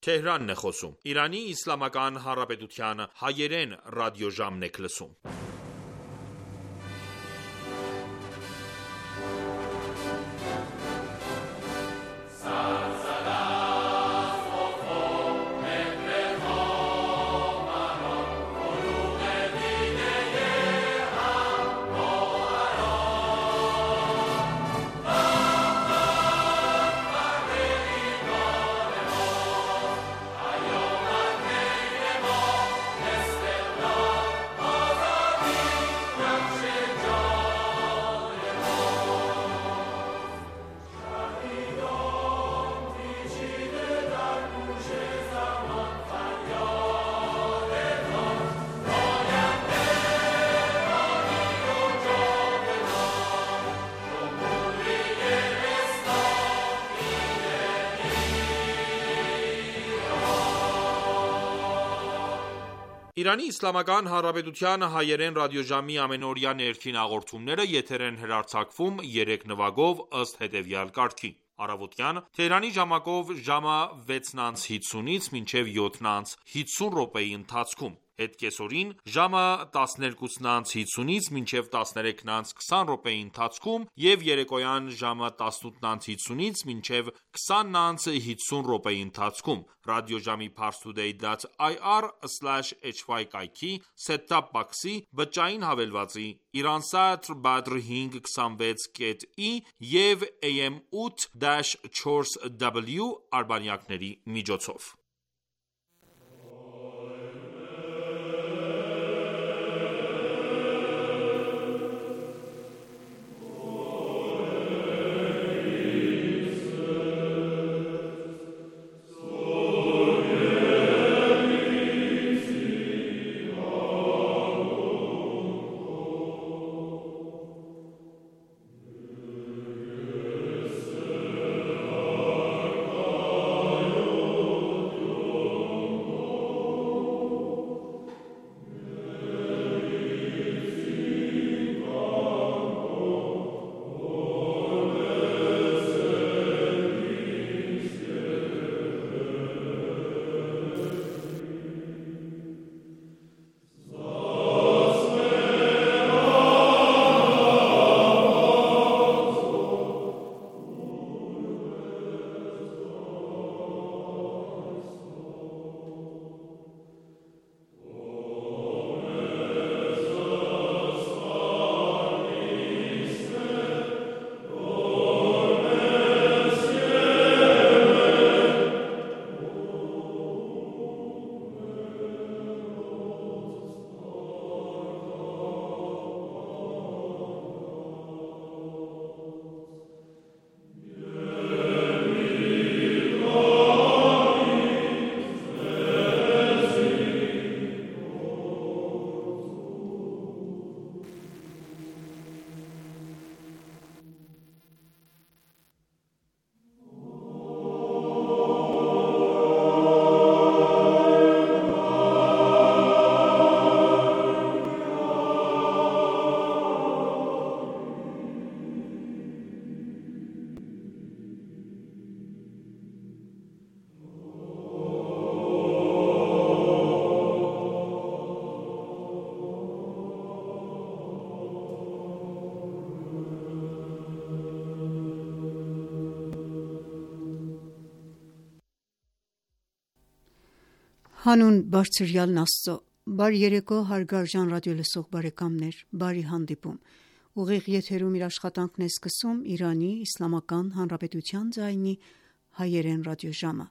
Թեհրանն է խոսում։ Իրանի Իսլամական Հանրապետության հայերեն ռադիոժամն եք լսում։ Իրանի Իսլամական Հանրապետության հայերեն ռադիոժամի ամենօրյա ներքին հաղորդումները եթեր են հեռարձակվում 3 նվագով ըստ հետևյալ կարգի. Առավոտյան Թեհրանի ժամակով ժամը 6:50-ից մինչև 7:50 րոպեի ընթացքում, հետկեսօրին ժամը 12:50-ից մինչև 13:20 րոպեի ընթացքում և երեկոյան ժամը 18:50-ից մինչև 20:50 րոպեի ընթացքում, ռադիոժամի parstoday.ir/hy կայքի set-top box-ի բջջային հավելվածի, Iransat Badr 526.E և AM 8-4W արբանյակների միջոցով։ Հանուն բարձրյալն Աստծո, բարի երեկո հարգարժան ռադիոլսող բարեկամներ, բարի հանդիպում: Ուղիղ եթերում իր աշխատանքն է սկսում Իրանի Իսլամական Հանրապետության ձայնի հայերեն ռադիոժամը: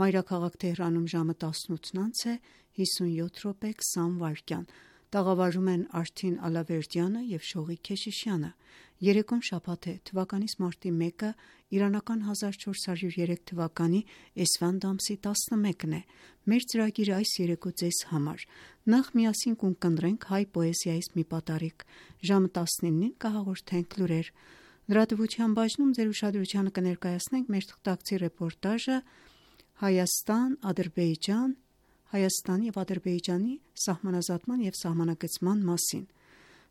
Մայրաքաղաք Թեհրանում ժամը 18:57:20 տաղավարում են Արթին Ալավերդյանը և Շողիկ Քեշիշյանը: Երեկոն շաբաթ է, թվականիս մարտի 1-ը, իրանական 1403 թվականի էսֆանդ ամսի 11-ն է: Մեր ծրագիրը այս երեկո ձեզ համար: Նախ միասին կունկնդրենք հայ պոեզիայից մի պատառիկ, ժամը 19-ին կհաղորդենք լուրեր: Լրատվության բաժնում ձեր ուշադրությանը կներկայացնենք մեր թղթակցի ռեպորտաժը Հայաստանի և Ադրբեջանի սահմանազատման և սահմանագծման մասին: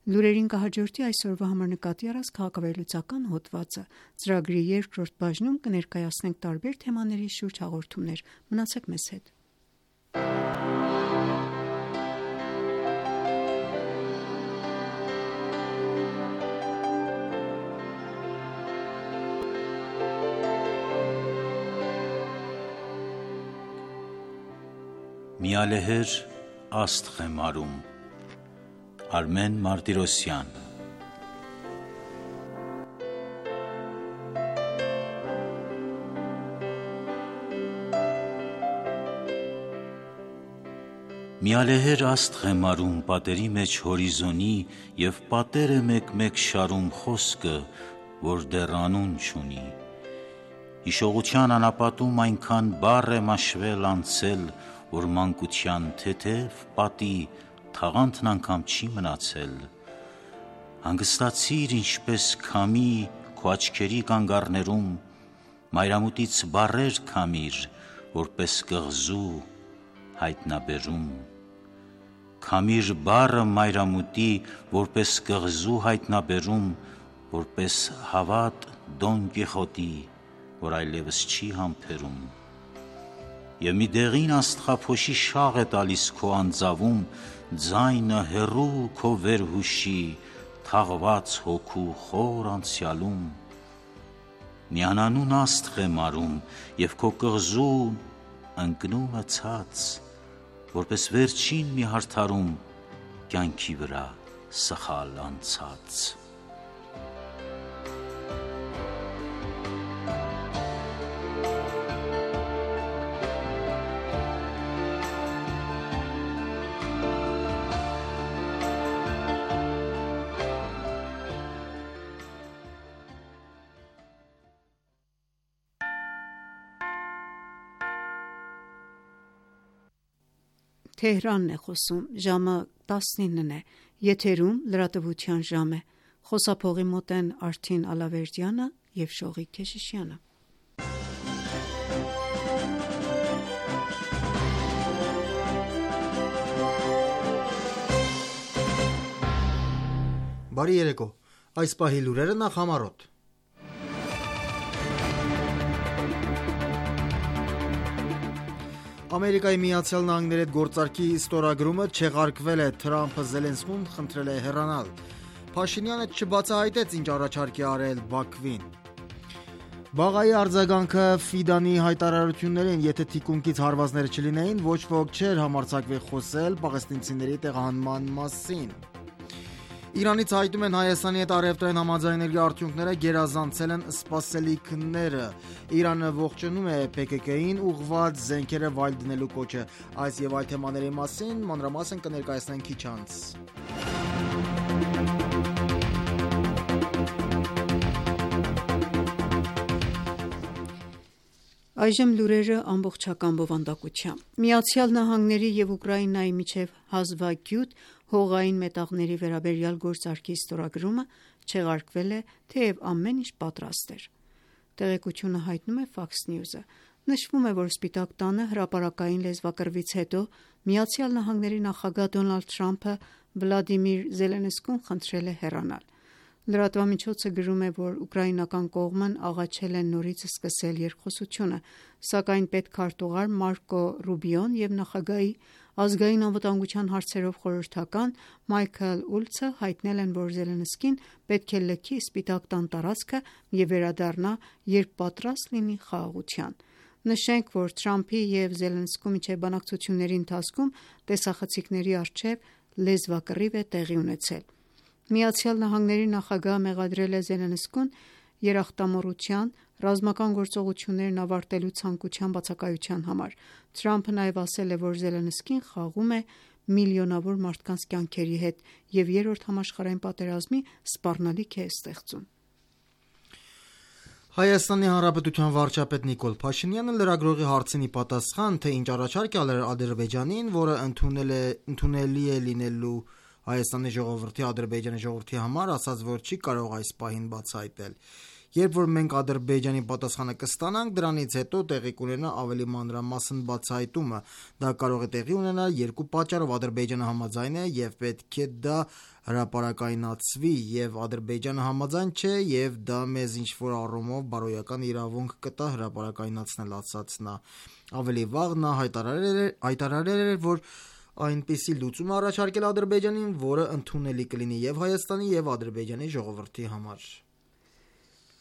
Լուրերին կհաջորդի այսօրվա համար նկատի առած քաղաքավերլուծական հոդվածը։ Ծրագրի երկրորդ բաժնում կներկայացնենք տարբեր թեմաների շուրջ հաղորդումներ։ Մնացեք մեզ հետ։ Միալեհեր աստղ է մարում Արմեն Մարտիրոսյան Միալեհեր աստղ է մարում պատերի մեջ հորիզոնի և պատեր է մեկ-մեկ շարում խոսքը, որ դեռ անուն չունի։ Հիշողության անապատում այնքան բառ է մաշվել անցել, որ մանկության թեթև պատի թաղանթն անգամ չի մնացել։ Հանգստացիր ինչպես քամի քո աչքերի կանգառներում, մայրամուտից բառեր քամիր, որպես կղզու հայտնաբերում։ Քամիր բառը մայրամուտի, որպես կղզու հայտնաբերում, որպես հավատ Դոն Կիխոտի, որ այլևս չի համբերում։ Եվ մի դեղին աստղափոշի շաղ է տալիս քո անձավում, ձայնը հեռու քո վերհուշի, թաղված հոգու խոր անցյալում։ Մի անանուն աստղ է մարում, և քո կղզուն ընկնում է ցած, որպես վերջին մի հարդարում կյանքի վրա սխալ անցած։ Թեհրանն է խոսում, ժամը 19-ն է, եթերում լրատվության ժամ է, խոսափողի մոտ են Արթին Ալավերդյանը և Շողիկ Քեշիշյանը։ Բարի երեկո, այս պահի լուրերը նախ համառոտ։ Ամերիկայի Միացյալ Նահանգների հետ գործարքի ստորագրումը չեղարկվել է, Թրամփը Զելենսկուն խնդրել է հեռանալ։ Փաշինյանը չբացահայտեց ինչ առաջարկ է արել Բաքվին։ Բաղայի արձագանքը Ֆիդանի հայտարարություններին, եթե թիկունքից հարվածներ չլինեին, ոչ ոք չէր համարձակվի խոսել պաղեստինցիների տեղահանման մասին։ Իրանից հայտում են Հայաստանի հետ առևտրային համաձայնագրի արդյունքները գերազանցել են սպասելիքները։ Իրանը ողջունում է ՓԿԿ-ին ուղղված զենքերը վայր դնելու կոչը։ Այս եւ այլ թեմաների մասին մանրամասն կներկայացնենք քիչ անց։ Այժմ լուրերը ամբողջական բովանդակությամբ։ Միացյալ Նահանգների և Ուկրաինայի միջև հազվագյուտ հողային մետաղների վերաբերյալ գործարքի ստորագրումը չեղարկվել է, թեև ամեն ինչ պատրաստ էր։ Տեղեկությունը հայտնում է Fox News-ը։ Նշվում է, որ Սպիտակ տանը հրապարակային լեզվակռվից հետո Միացյալ Նահանգների նախագահ Դոնալդ Թրամփը Վլադիմիր Զելենսկուն խնդրել է հեռանալ։ Լրատվամիջոցը գրում է, որ ուկրաինական կողմն աղաչել է նորից սկսել երկխոսությունը, սակայն պետքարտուղար Մարկո Ռուբիոն և նախագահի ազգային անվտանգության հարցերով խորհրդական Մայքլ Ուլցը հայտնել են, որ Զելենսկին պետք է լքի Սպիտակ տան տարածքը և վերադառնա, երբ պատրաստ լինի խաղաղության։ Նշենք, որ Թրամփի և Զելենսկու միջև բանակցությունների ընթացքում տեսախցիկների առջև լեզվակռիվ է տեղի ունեցել։ Միացյալ Նահանգների նախագահը մեղադրել է Զելենսկուն երախտամոռության, ռազմական գործողություններն ավարտելու ցանկության բացակայության համար։ Թրամփը նաև ասել է, որ Զելենսկին խաղում է միլիոնավոր մարդկանց կյանքերի հետ և երրորդ համաշխարհային պատերազմի սպառնալիք է ստեղծում։ Հայաստանի Հանրապետության վարչապետ Նիկոլ Փաշինյանը լրագրողի հարցին ի պատասխան, թե ինչ առաջարկ է արել Ադրբեջանին, որը ընդունելի է լինելու Հայաստանի ժողովրդի Ադրբեջանի ժողովրդի համար, ասաց, որ չի կարող այս պահին բացահայտել։ Երբ որ մենք Ադրբեջանի պատասխանը կստանանք, դրանից հետո տեղի կունենա ավելի մանրամասն բացահայտումը։ Դա կարող է տեղի ունենալ երկու պատճառով. Ադրբեջանը համաձայն է եւ պետք է դա հրապարակայնացվի, եւ Ադրբեջանը համաձայն չէ, եւ դա մեզ ինչ-որ առումով բարոյական իրավունք կտա հրապարակայնացնել, ասաց նա։ Ավելի վաղ նա հայտարարել էր, որ այնպիսի լուծում առաջարկել Ադրբեջանին, որը ընդունելի կլինի եւ Հայաստանի եւ Ադրբեջանի ժողովրդի համար։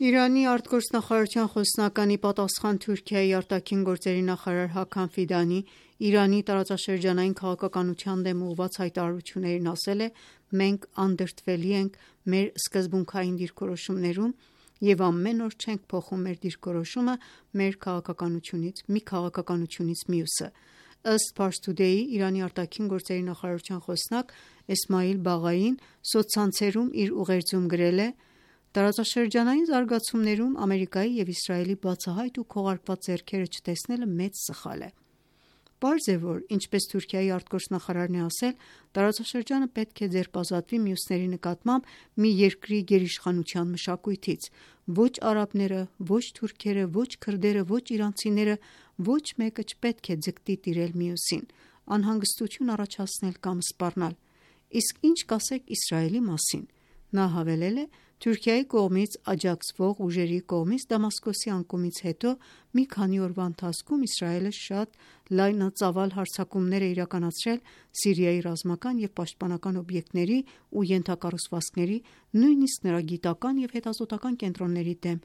Իրանի արտգործնախարարության խոսնականի պատասխան Թուրքիայի արտաքին գործերի նախարար Հական Ֆիդանի Իրանի տարածաշրջանային քաղաքականության դեմ ուղղված հայտարարություններին ասել է. «Մենք անդրդվելի ենք մեր սկզբունքային դիրքորոշումներում եւ ամեն օր չենք փոխում մեր դիրքորոշումը մեր քաղաքականությունից մի քաղաքականությունից մյուսը»։ Ըստ Pars Today-ի Իրանի արտաքին գործերի նախարարության խոսնակ Էսմայիլ Բաղային սոցցանցերում իր ուղերձում գրել է. «Տարածաշրջանային զարգացումներում Ամերիկայի եւ Իսրայելի բացահայտ ու քողարկված ձեռքերը չտեսնելը մեծ սխալ է»։ Պարզ է, որ ինչպես Թուրքիայի արտգործնախարարն է ասել, տարածաշրջանը պետք է ձերբազատվի մյուսների նկատմամբ մի երկրի գերիշխանության մշակույթից։ Ոչ արաբները, ոչ թուրքերը, ոչ քրդերը, ոչ իրանցիները, ոչ մեկը չպետք է ձգտի տիրել մյուսին, անհանգստություն առաջացնել կամ սպառնալ։ Իսկ ինչ կասեք Իսրայելի մասին։ Նա հավելել է. Թուրքիայի կողմից աջակցվող ուժերի կողմից Դամասկոսի անկումից հետո մի քանի օրվա ընթացքում Իսրայելը շատ լայնածավալ հարձակումներ է իրականացրել Սիրիայի ռազմական եւ պաշտպանական օբյեկտների ու ենթակառուցվածքների, նույնիսկ նրա գիտական եւ հետազոտական կենտրոնների դեմ,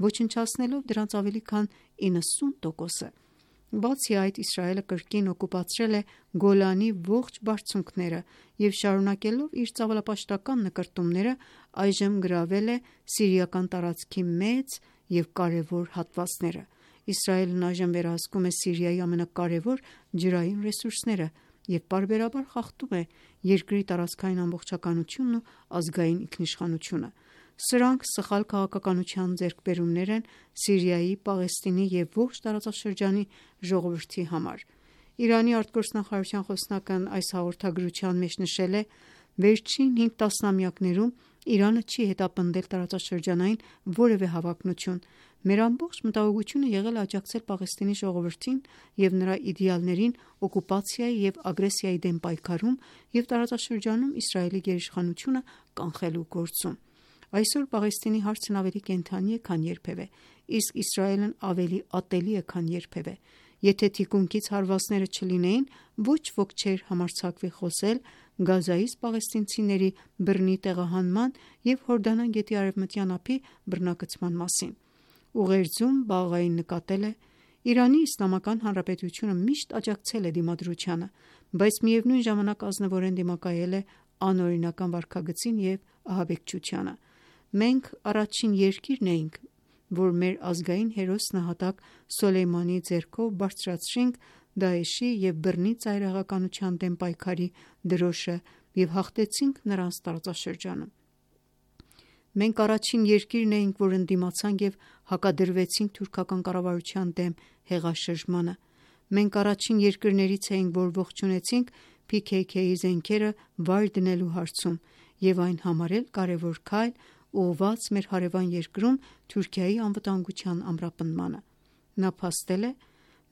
ոչնչացնելով դրանց ավելի քան 90%-ը։ Բացի այդ, Իսրայելը կրկին օկուպացրել է Գոլանի ողջ բարձունքները եւ շարունակելով իր ծավալապաշտական նկրտումները, այժմ գրավել է սիրիական տարածքի մեծ եւ կարեւոր հատվածները։ Իսրայելն այժմ վերահսկում է Սիրիայի ամենակարեւոր ջրային ռեսուրսները եւ պարբերաբար խախտում է երկրի տարածքային ամբողջականությունն ու ազգային ինքնիշխանությունը։ Սրանք սխալ քաղաքականության ձեռքբերումներ են Սիրիայի, Պաղեստինի եւ ողջ տարածաշրջանի ժողովրդի համար։ Իրանի արտգործնախարարության խոսնակն այս հաղորդագրության մեջ նշել է. «Վերջին 5 տասնամյակներում Իրանը չի հետապնդել տարածաշրջանային որևէ հավակնություն։ Մեր ամբողջ մտահոգությունը եղել է աջակցել Պաղեստինի ժողովրդին եւ նրա իդեալներին օկուպացիայի եւ ագրեսիայի դեմ պայքարում եւ տարածաշրջանում Իսրայելի գերիշխանությունը կանխելու գործում։ Այսօր Պաղեստինի հարցն ավելի կենդանի է, քան երբևէ, իսկ Իսրայելն ավելի ատելի է, քան երբևէ։ Եթե թիկունքից հարվածները չլինեին, ոչ ոք չէր համարձակվի խոսել Գազայից պաղեստինցիների բռնի տեղահանման եւ Հորդանան գետի արևմտյան ափի բռնագծման մասին»։ Ուղերձում Բաղային նկատել է. «Իրանի Իսլամական Հանրապետությունը միշտ աջակցել է դիմադրությանը, բայց միևնույն ժամանակ ազնվորեն դիմակայել է անօրինական վարքագծին եւ ահաբեկչությանը։ Մենք առաջին երկիրն էինք, որ մեր ազգային հերոս նահատակ Սոլեյմանի ձեռքով բարձրացրինք Դաեշի եւ բռնի ծայրահեղականության դեմ պայքարի դրոշը եւ հաղթեցինք նրանց տարածաշրջանում։ Մենք առաջին երկիրն էինք, որ ընդդիմացանք եւ հակադրվեցինք թուրքական կառավարության դեմ հեղաշրջմանը։ Մենք առաջին երկրներից էինք, որ ողջունեցինք PKK-ի զենքերը վայր դնելու հարցում եւ այն համարել կարեւոր քայլ ուղղված մեր հարևան երկրում Թուրքիայի անվտանգության ամրապնդմանը։ Նա փաստել է.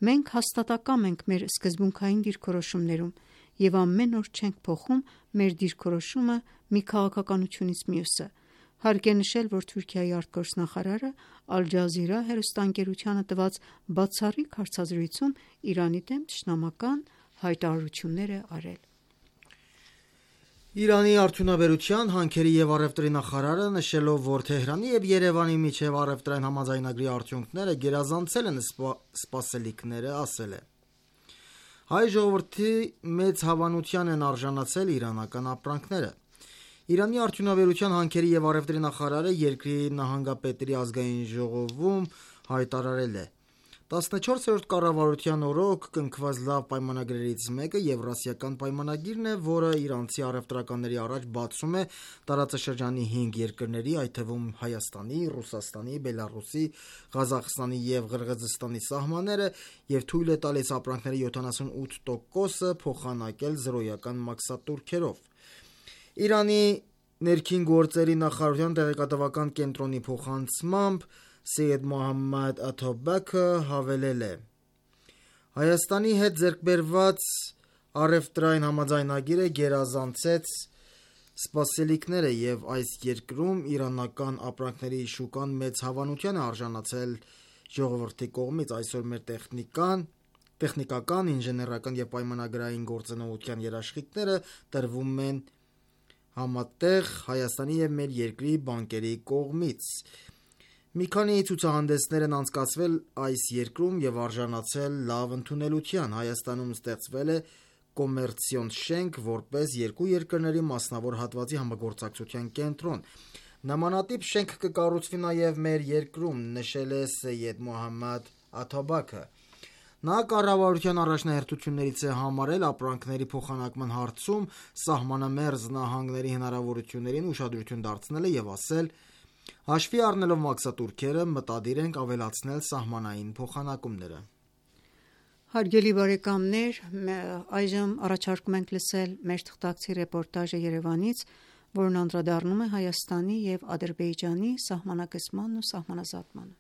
«Մենք հաստատակամ ենք մեր սկզբունքային դիրքորոշումներում եւ ամեն օր չենք փոխում մեր դիրքորոշումը մի քաղաքականությունից մյուսը»։ Հարկ է նշել, որ Թուրքիայի արտգործնախարարը Ալ Ջազիրա հեռուստաընկերությանը տված բացառիկ հարցազրույցում Իրանի դեմ թշնամական հայտարարություններ է արել։ Իրանի արդյունաբերության, հանքերի եւ առևտրի նախարարը նշելով, որ Թեհրանի եւ Երևանի միջև առևտրային համաձայնագրի արդյունքները գերազանցել են սպասելիքները, ասել է. «Հայ ժողովրդի մեծ հավանության են արժանացել իրանական ապրանքները»։ Իրանի արդյունաբերության, հանքերի եւ առևտրի նախարարը երկրի նահանգապետերի ազգային ժողովում հայտարարել է. 14-րդ կառավարության օրոք կնքված լավ պայմանագրերից մեկը Եվրասիական պայմանագիրն է, որը իրանցի առևտրականների առաջ բացում է տարածաշրջանի 5 երկրների, այդ թվում Հայաստանի, Ռուսաստանի, Բելառուսի, Ղազախստանի եւ Ղրղզստանի սահմանները եւ թույլ է տալիս ապրանքների 78%-ը փոխանակել զրոյական մաքսատուրքերով։ Իրանի ներքին գործերի նախարարության տեղեկատվական կենտրոնի փոխանցմամբ Սեյեդ Մոհամմադ Աթոբեքը հավելել է. «Հայաստանի հետ ձեռքբերված առևտրային համաձայնագիրը գերազանցեց սպասելիքները եւ այս երկրում իրանական ապրանքների շուկան մեծ հավանության է արժանացել ժողովրդի կողմից։ Այսօր մեր տեխնիկական, ինժեներական եւ պայմանագրային գործունեության երաշխիքները տրվում են համատեղ Հայաստանի եւ մեր երկրի բանկերի կողմից։ Մի քանի ցուցահանդեսներ են անցկացվել այս երկրում եւ արժանացել լավ ընդունելության։ Հայաստանում ստեղծվել է կոմերցիոն շենք, որպես երկու երկրների մասնավոր հատվածի համագործակցության կենտրոն։ Նմանատիպ շենք կկառուցվի նաև մեր երկրում, նշել է Սեյեդ Մոհամմադ Աթաբաքը։ Նա կառավարության առաջնահերթություններից է համարել ապրանքների փոխանակման հարցում սահմանամերձ նահանգների հնարավորություններին ուշադրություն դարձնելը եւ ասել. հաշվի առնելով մաքսատուրքերը մտադիր ենք ավելացնել սահմանային փոխանակումները։ Հարգելի բարեկամներ, այժմ առաջարկում ենք լսել մեր թղթակցի ռեպորտաժը Երևանից, որն անդրադառնում է Հայաստանի և Ադրբեջանի սահմանակազմանն ու սահմանազատմանը։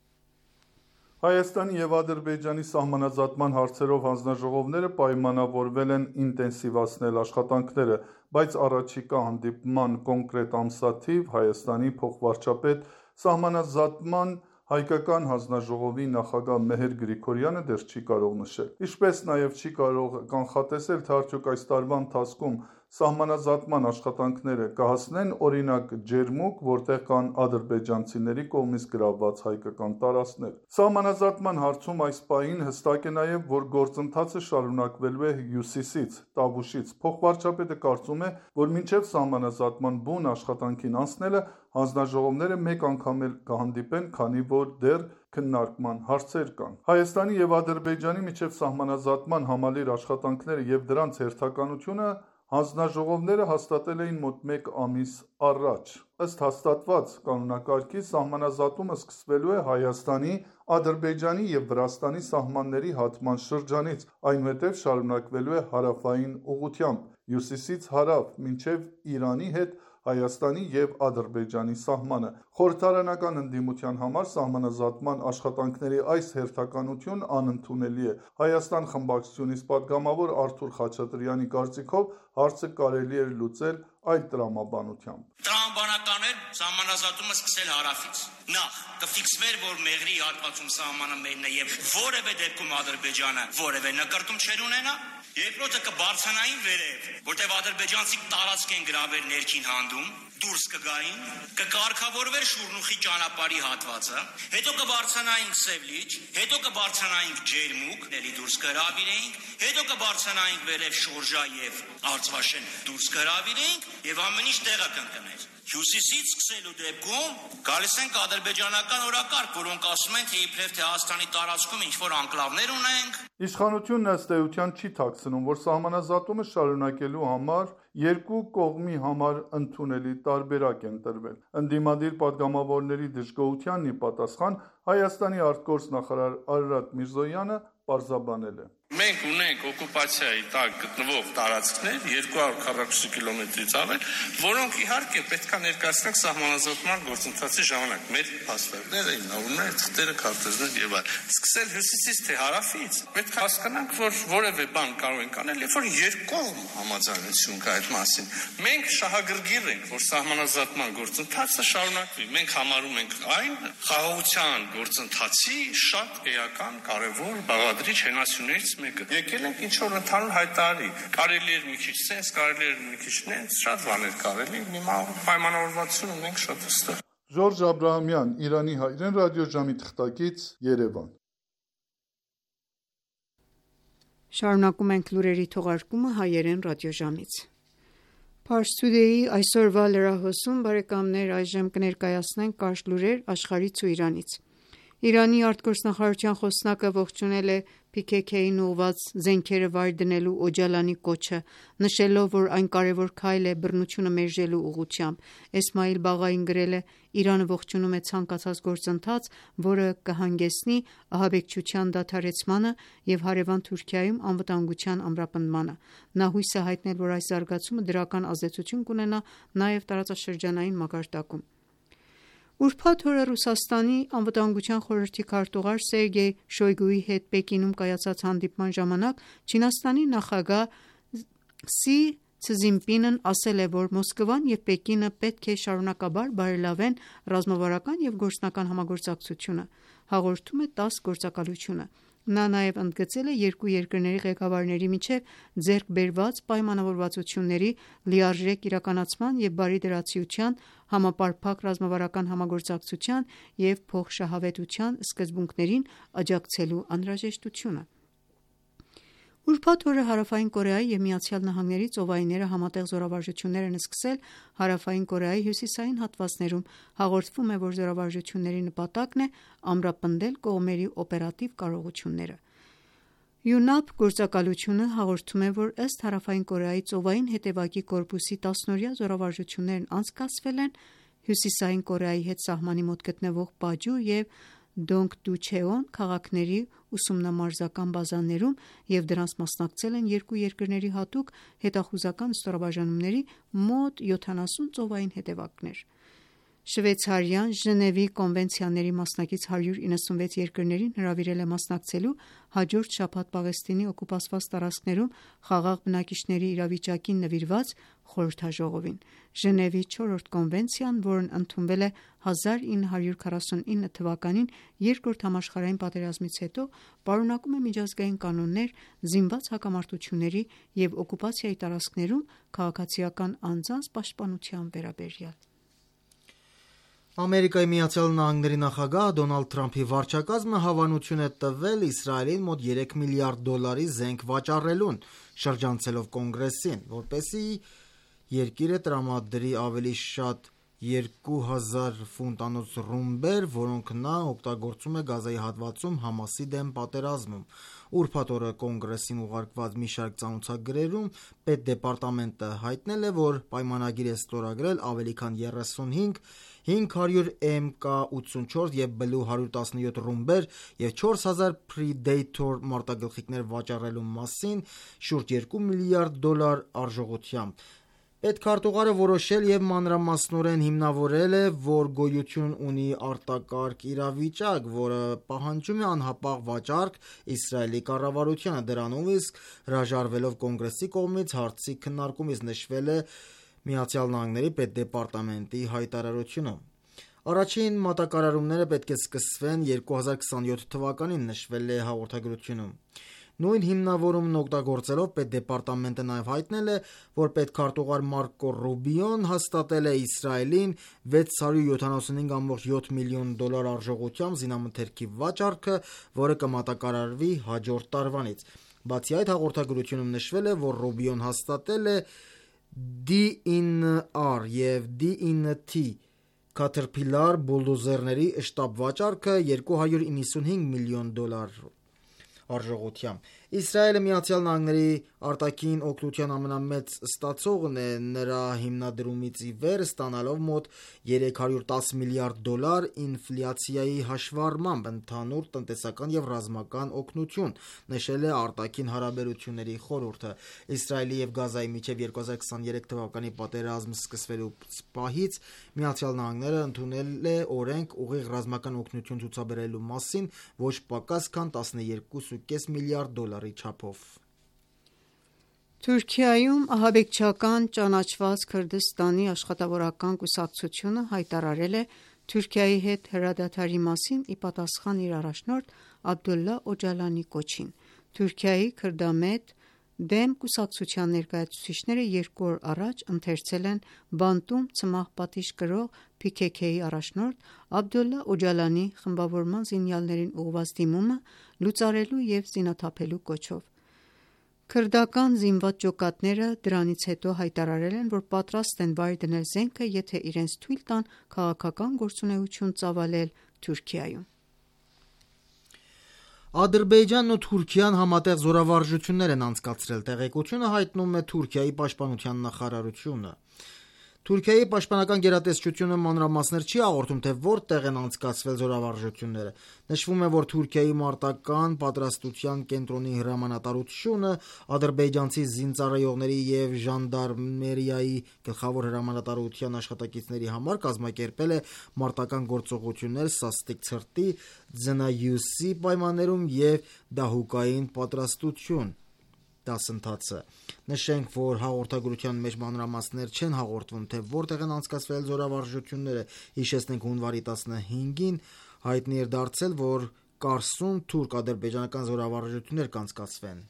Հայաստանի և Ադրբեջանի սահմանազատման հարցերով հանձնաժողովները պայմանավորվել են ինտենսիվացնել աշխատանքները, բայց առաջիկա հանդիպման կոնկրետ ամսաթիվ Հայաստանի փոխվարչապետ սահմանազատման հայկական հանձնաժողովի նախագահ Մեհեր Գրիգորյանը դեռ չի կարող նշել։ Ինչպես նաև չի կարող կանխատեսել, թե արդյոք այս տարվա ընթացքում սահմանազատման աշխատանքները կհասնեն օրինակ Ջերմուկ, որտեղ կան ադրբեջանցիների կողմից գրավված հայկական տարածքներ։ Սահմանազատման հարցում այս պահին հստակ է նաև, որ գործընթացը շարունակվելու է հյուսիսից, Տավուշից։ Փոխվարչապետը կարծում է, որ մինչև սահմանազատման բուն աշխատանքին անցնելը հանձնաժողովները մեկ անգամ էլ կհանդիպեն, քանի որ դեռ քննարկման հարցեր կան։ Հայաստանի և Ադրբեջանի միջև սահմանազատման համալիր աշխատանքները եւ դրանց հերթականությունը հանձնաժողովները հաստատել էին մոտ 1 ամիս առաջ։ Ըստ հաստատված կանոնակարգի սահմանազատումը սկսվելու է Հայաստանի, Ադրբեջանի և Վրաստանի սահմանների հատման շրջանից, այնուհետև շարունակվելու է հարավային ուղղությամբ, հյուսիսից հարավ, մինչև Իրանի հետ Հայաստանի և Ադրբեջանի սահմանը։ Խորհրդարանական ընդդիմության համար սահմանազատման աշխատանքների այս հերթականությունն անընդունելի է։ Հայաստան խմբակցությունից պատգամավոր Արթուր Խաչատրյանի կարծիքով հարցը կարելի էր լուծել այլ տրամաբանությամբ։ Տրամաբանական էր սահմանազատումը սկսել հարավից։ Նախ կֆիքսվեր, որ Մեղրի հատվածում սահմանը մերն է եւ որևէ դեպքում Ադրբեջանը որևէ նկարտում չեր ունենա։ Երկրորդը կբարձրանային վերև, որտեղ ադրբեջանցիք տարածք են գրավել ներքին հանդում, դուրս կգային, կկարգավորվեր Շուրնուխի ճանապարհի հատվածը, հետո կբարձրանայինք Սևլիջ, հետո կբարձրանայինք Ջերմուկ, ելի դուրս կհրավիրեինք, հետո կբարձրանայինք վերև Շորժա եւ Արցվաշեն դուրս կհրավիրեինք եւ ամեն ինչ տեղը կընկներ։ Հյուսիսից սկսելու դեպքում գալիս ենք ադրբեջանական օրակարգ, որոնք ասում են, թե իբրև թե Հայաստանի տարածքում ինչ-որ անկլավներ ունենք։ Իշխանությունն ըստ էության չի թաքցնում, որ սահմանազատումը շարունակելու համար երկու կողմի համար ընդունելի տարբերակ են տրվել։ Ընդդիմադիր պատգամավորների դժգոհությանն ի պատասխան Հայաստանի արտգործնախարար Արարատ Միրզոյանը պարզաբանել է. Մենք ունենք օկուպացիայի տակ գտնվող տարածքներ 240 կիլոմետրից ավել, որոնք իհարկե պետք է ներկայացնենք սահմանազատման գործընթացի ժամանակ։ Մեր փաստարկները, հիմնավորումները, թղթերը, քարտեզներ եւ այլն։ Սկսել հյուսիսից թե հարավից, պետք է հասկանանք, որ որևէ բան կարող ենք անել, երբ որ երկկողմ համաձայնություն կա այդ մասին։ Մենք շահագրգիռ ենք, որ սահմանազատման գործընթացը շարունակվի։ Մենք համարում ենք այն խաղաղության գործընթացի շատ էական, կարևոր, բաղադրիչ հենասյուներից մեկը։ Եկել ենք ինչ որ ընդհանուր հայտարարի։ Կարելի էր մի քիչ սենս, կարելի էր մի քիչ նենց, շատ բաներ կարելի։ Հիմա պայմանավորվածություն ունենք շատ հստակ։ Ժորժ Աբրահամյան, Իրանի հայրեն ռադիոժամի թղթակից, Երևան։ Շարունակում ենք լուրերի թողարկումը հայերեն ռադիոժամից։ Pars Today-ի այսօրվա լրահոսում բարեկամներ այժմ կներկայացնենք կարճ լուրեր աշխարհից ու Իրանից։ Իրանի արտգործնախարարության խոսնակը ողջունել է PKK-ին ուղղված զենքերը վայր դնելու Օջալանի կոչը, նշելով, որ այն կարևոր քայլ է բռնությունը մերժելու ուղղությամբ։ Էսմայիլ Բաղային գրել է. «Իրանը ողջունում է ցանկացած գործընթաց, որը կհանգեցնի ահաբեկչության դադարեցմանը և հարևան Թուրքիայում անվտանգության ամրապնդմանը»։ Նա հույս է հայտնել, որ այս զարգացումը դրական ազդեցություն կունենա նաև տարածաշրջանային մակարդակում։ Ուրբաթ օրը Ռուսաստանի անվտանգության խորհրդի քարտուղար Սերգեյ Շոյգուի հետ Պեկինում կայացած հանդիպման ժամանակ Չինաստանի նախագահ Սի Ցզինպինն ասել է, որ Մոսկվան և Պեկինը պետք է շարունակաբար բարելավեն ռազմավարական և գործնական համագործակցությունը, հաղորդում է ՏԱՍՍ գործակալությունը: Նա նաև ընդգծել է երկու երկրների ղեկավարների միջև ձեռք բերված պայմանավորվածությունների լիարժեք իրականացման և բարի դրացիության, համապարփակ ռազմավարական համագործակցության և փոխշահավետության սկզբունքներին աջակցելու անհրաժեշտությունը: Ուրբաթ օրը Հարավային Կորեայի և ԱՄՆ-ի ծովայինները համատեղ զորավարժություններ են սկսել Հարավային Կորեայի հյուսիսային հատվածներում: Հաղորդվում է, որ զորավարժությունների նպատակն է ամրապնդել կողմերի օպերատիվ կարողությունները: ՅՈՒՆԱՊ գործակալությունը հաղորդում է, որ ըստ Հարավային Կորեայի ծովային հետևակի կորպուսի 10-օրյա զորավարժություններն անցկացվել են Հյուսիսային Կորեայի հետ սահմանի մոտ գտնվող Պաջու և Դոնգդուչեոն քաղաքների ուսումնամարզական բազաներում և դրանց մասնակցել են երկու երկրների հատուկ հետախուզական ստորաբաժանումների մոտ 70 ծովային հետևակներ: Շվեյցարիան Ժնևի կոնվենցիաների մասնակից 196 երկրներին հրավիրել է մասնակցելու հաջորդ շաբաթ Պաղեստինի օկուպացված տարածքներում խաղաղ բնակիչների իրավիճակին նվիրված խորհրդաժողովին: Ժնևի 4-րդ կոնվենցիան, որն ընդունվել է 1949 թվականին Երկրորդ համաշխարհային պատերազմից հետո, պարունակում է միջազգային կանոններ զինված հակամարտությունների և օկուպացիայի տարածքներում քաղաքացիական անձանց պաշտպանության վերաբերյալ: ԱՄՆ նախագահ Դոնալդ Թրամփի վարչակազմը հավանություն է տվել Իսրայելին մոտ $3 միլիարդ զենք վաճառելուն, շրջանցելով Կոնգրեսին, որպեսզի երկիրը տրամադրի ավելի շատ 2000 ֆունտանոց ռումբեր, որոնք նա օգտագործում է Գազայի հատվածում ՀԱՄԱՍ-ի դեմ պատերազմում: Ուրբաթ օրը Կոնգրեսին ուղարկված մի շարք ծանոթագրերում Պետդեպարտամենտը հայտնել է, որ պայմանագիր է ստորագրել ավելի քան 35 500 MK84 և Blue 117 ռումբեր և 4000 Predator մարտագլխիկներ վաճառելու մասին շուրջ $2 միլիարդ արժողությամբ: Պետքարտուղարը որոշել և մանրամասնորեն հիմնավորել է, որ գոյություն ունի արտակարգ իրավիճակ, որը պահանջում է անհապաղ վաճառք Իսրայելի կառավարությանը: Դրանով իսկ հրաժարվելով Կոնգրեսի կողմից հարցի քննարկումից, նշվել է ԱՄՆ Պետդեպարտամենտի հայտարարությունում: Առաջին մատակարարումները պետք է սկսվեն 2027 թվականին, նշվել է հաղորդագրությունում: Նույն հիմնավորումն օգտագործելով Պետդեպարտամենտը նաև հայտնել է, որ պետքարտուղար Մարկո Ռուբիոն հաստատել է Իսրայելին $675.7 միլիոն արժողությամբ զինամթերքի վաճառքը, որը կմատակարարվի հաջորդ տարվանից: Բացի այդ, հաղորդագրությունում նշվել է, որ Ռուբիոն հաստատել է D9R և D9T Caterpillar բուլդոզերների շտապ վաճառքը $295 միլիոն արժողությամբ: Իսրայելը ԱՄՆ արտաքին օգնության ամենամեծ ստացողն է, նրա հիմնադրումից ի վեր ստանալով մոտ $310 միլիարդ ինֆլյացիայի հաշվառմամբ ընդհանուր տնտեսական և ռազմական օգնություն, նշել է արտաքին հարաբերությունների խորհուրդը: Իսրայելի և Գազայի միջև 2023 թվականի պատերազմ սկսվելուց պահից ԱՄՆ-ն ընդունել է օրենք ուղիղ ռազմական օգնություն ցուցաբերելու մասին ոչ պակաս քան $12.5 միլիարդ չափով: Թուրքիայում ահաբեկչական ճանաչված Քրդստանի աշխատավորական կուսակցությունը հայտարարել է Թուրքիայի հետ հրադադարի մասին ի պատասխան իր առաջնորդ Աբդոլլահ Օջալանի կոչին: Թուրքիայի քրդամետ դեմ կուսակցության ներկայացուցիչները երկու օր առաջ ընթերցել են բանտում ցմահ պատիժ կրող PKK-ի առաջնորդ Աբդոլլահ Օջալանի խմբավորման զինյալներին ուղղված դիմումը լուծարելու և զինաթափելու կոչով: Քրդական զինված ջոկատները դրանից հետո հայտարարել են, որ պատրաստ են վայր դնել զենքը, եթե իրենց թույլ տան քաղաքական գործունեություն ծավալել Թուրքիայում: Ադրբեջանն ու Թուրքիան համատեղ զորավարժություններ են անցկացրել: Տեղեկությունը հայտնում է Թուրքիայի պաշտպանության նախարարությունը: Թուրքիայի պաշտպանական գերատեսչությունը մանրամասներ չի հաղորդում, թե որտեղ են անցկացվել զորավարժությունները: Նշվում է, որ Թուրքիայի մարտական պատրաստության կենտրոնի հրամանատարությունը ադրբեջանցի զինծառայողների և ժանդարմերիայի գլխավոր հրամանատարության աշխատակիցների համար կազմակերպել է մարտական գործողություններ սաստիկ ցրտի, ձնահյուսի պայմաններում և դահուկային պատրաստություն: դասընթացը։ Նշենք, որ հաղորդագրության մեջ մանրամասներ չեն հաղորդվում, թե որտեղ են անցկացվել զորավարժությունները։ Հիշեցնենք, հունվարի 15-ին հայտնի էր դարձել, որ Կարսում թուրք-ադրբեջանական զորավարժություններ կանցկացվեն։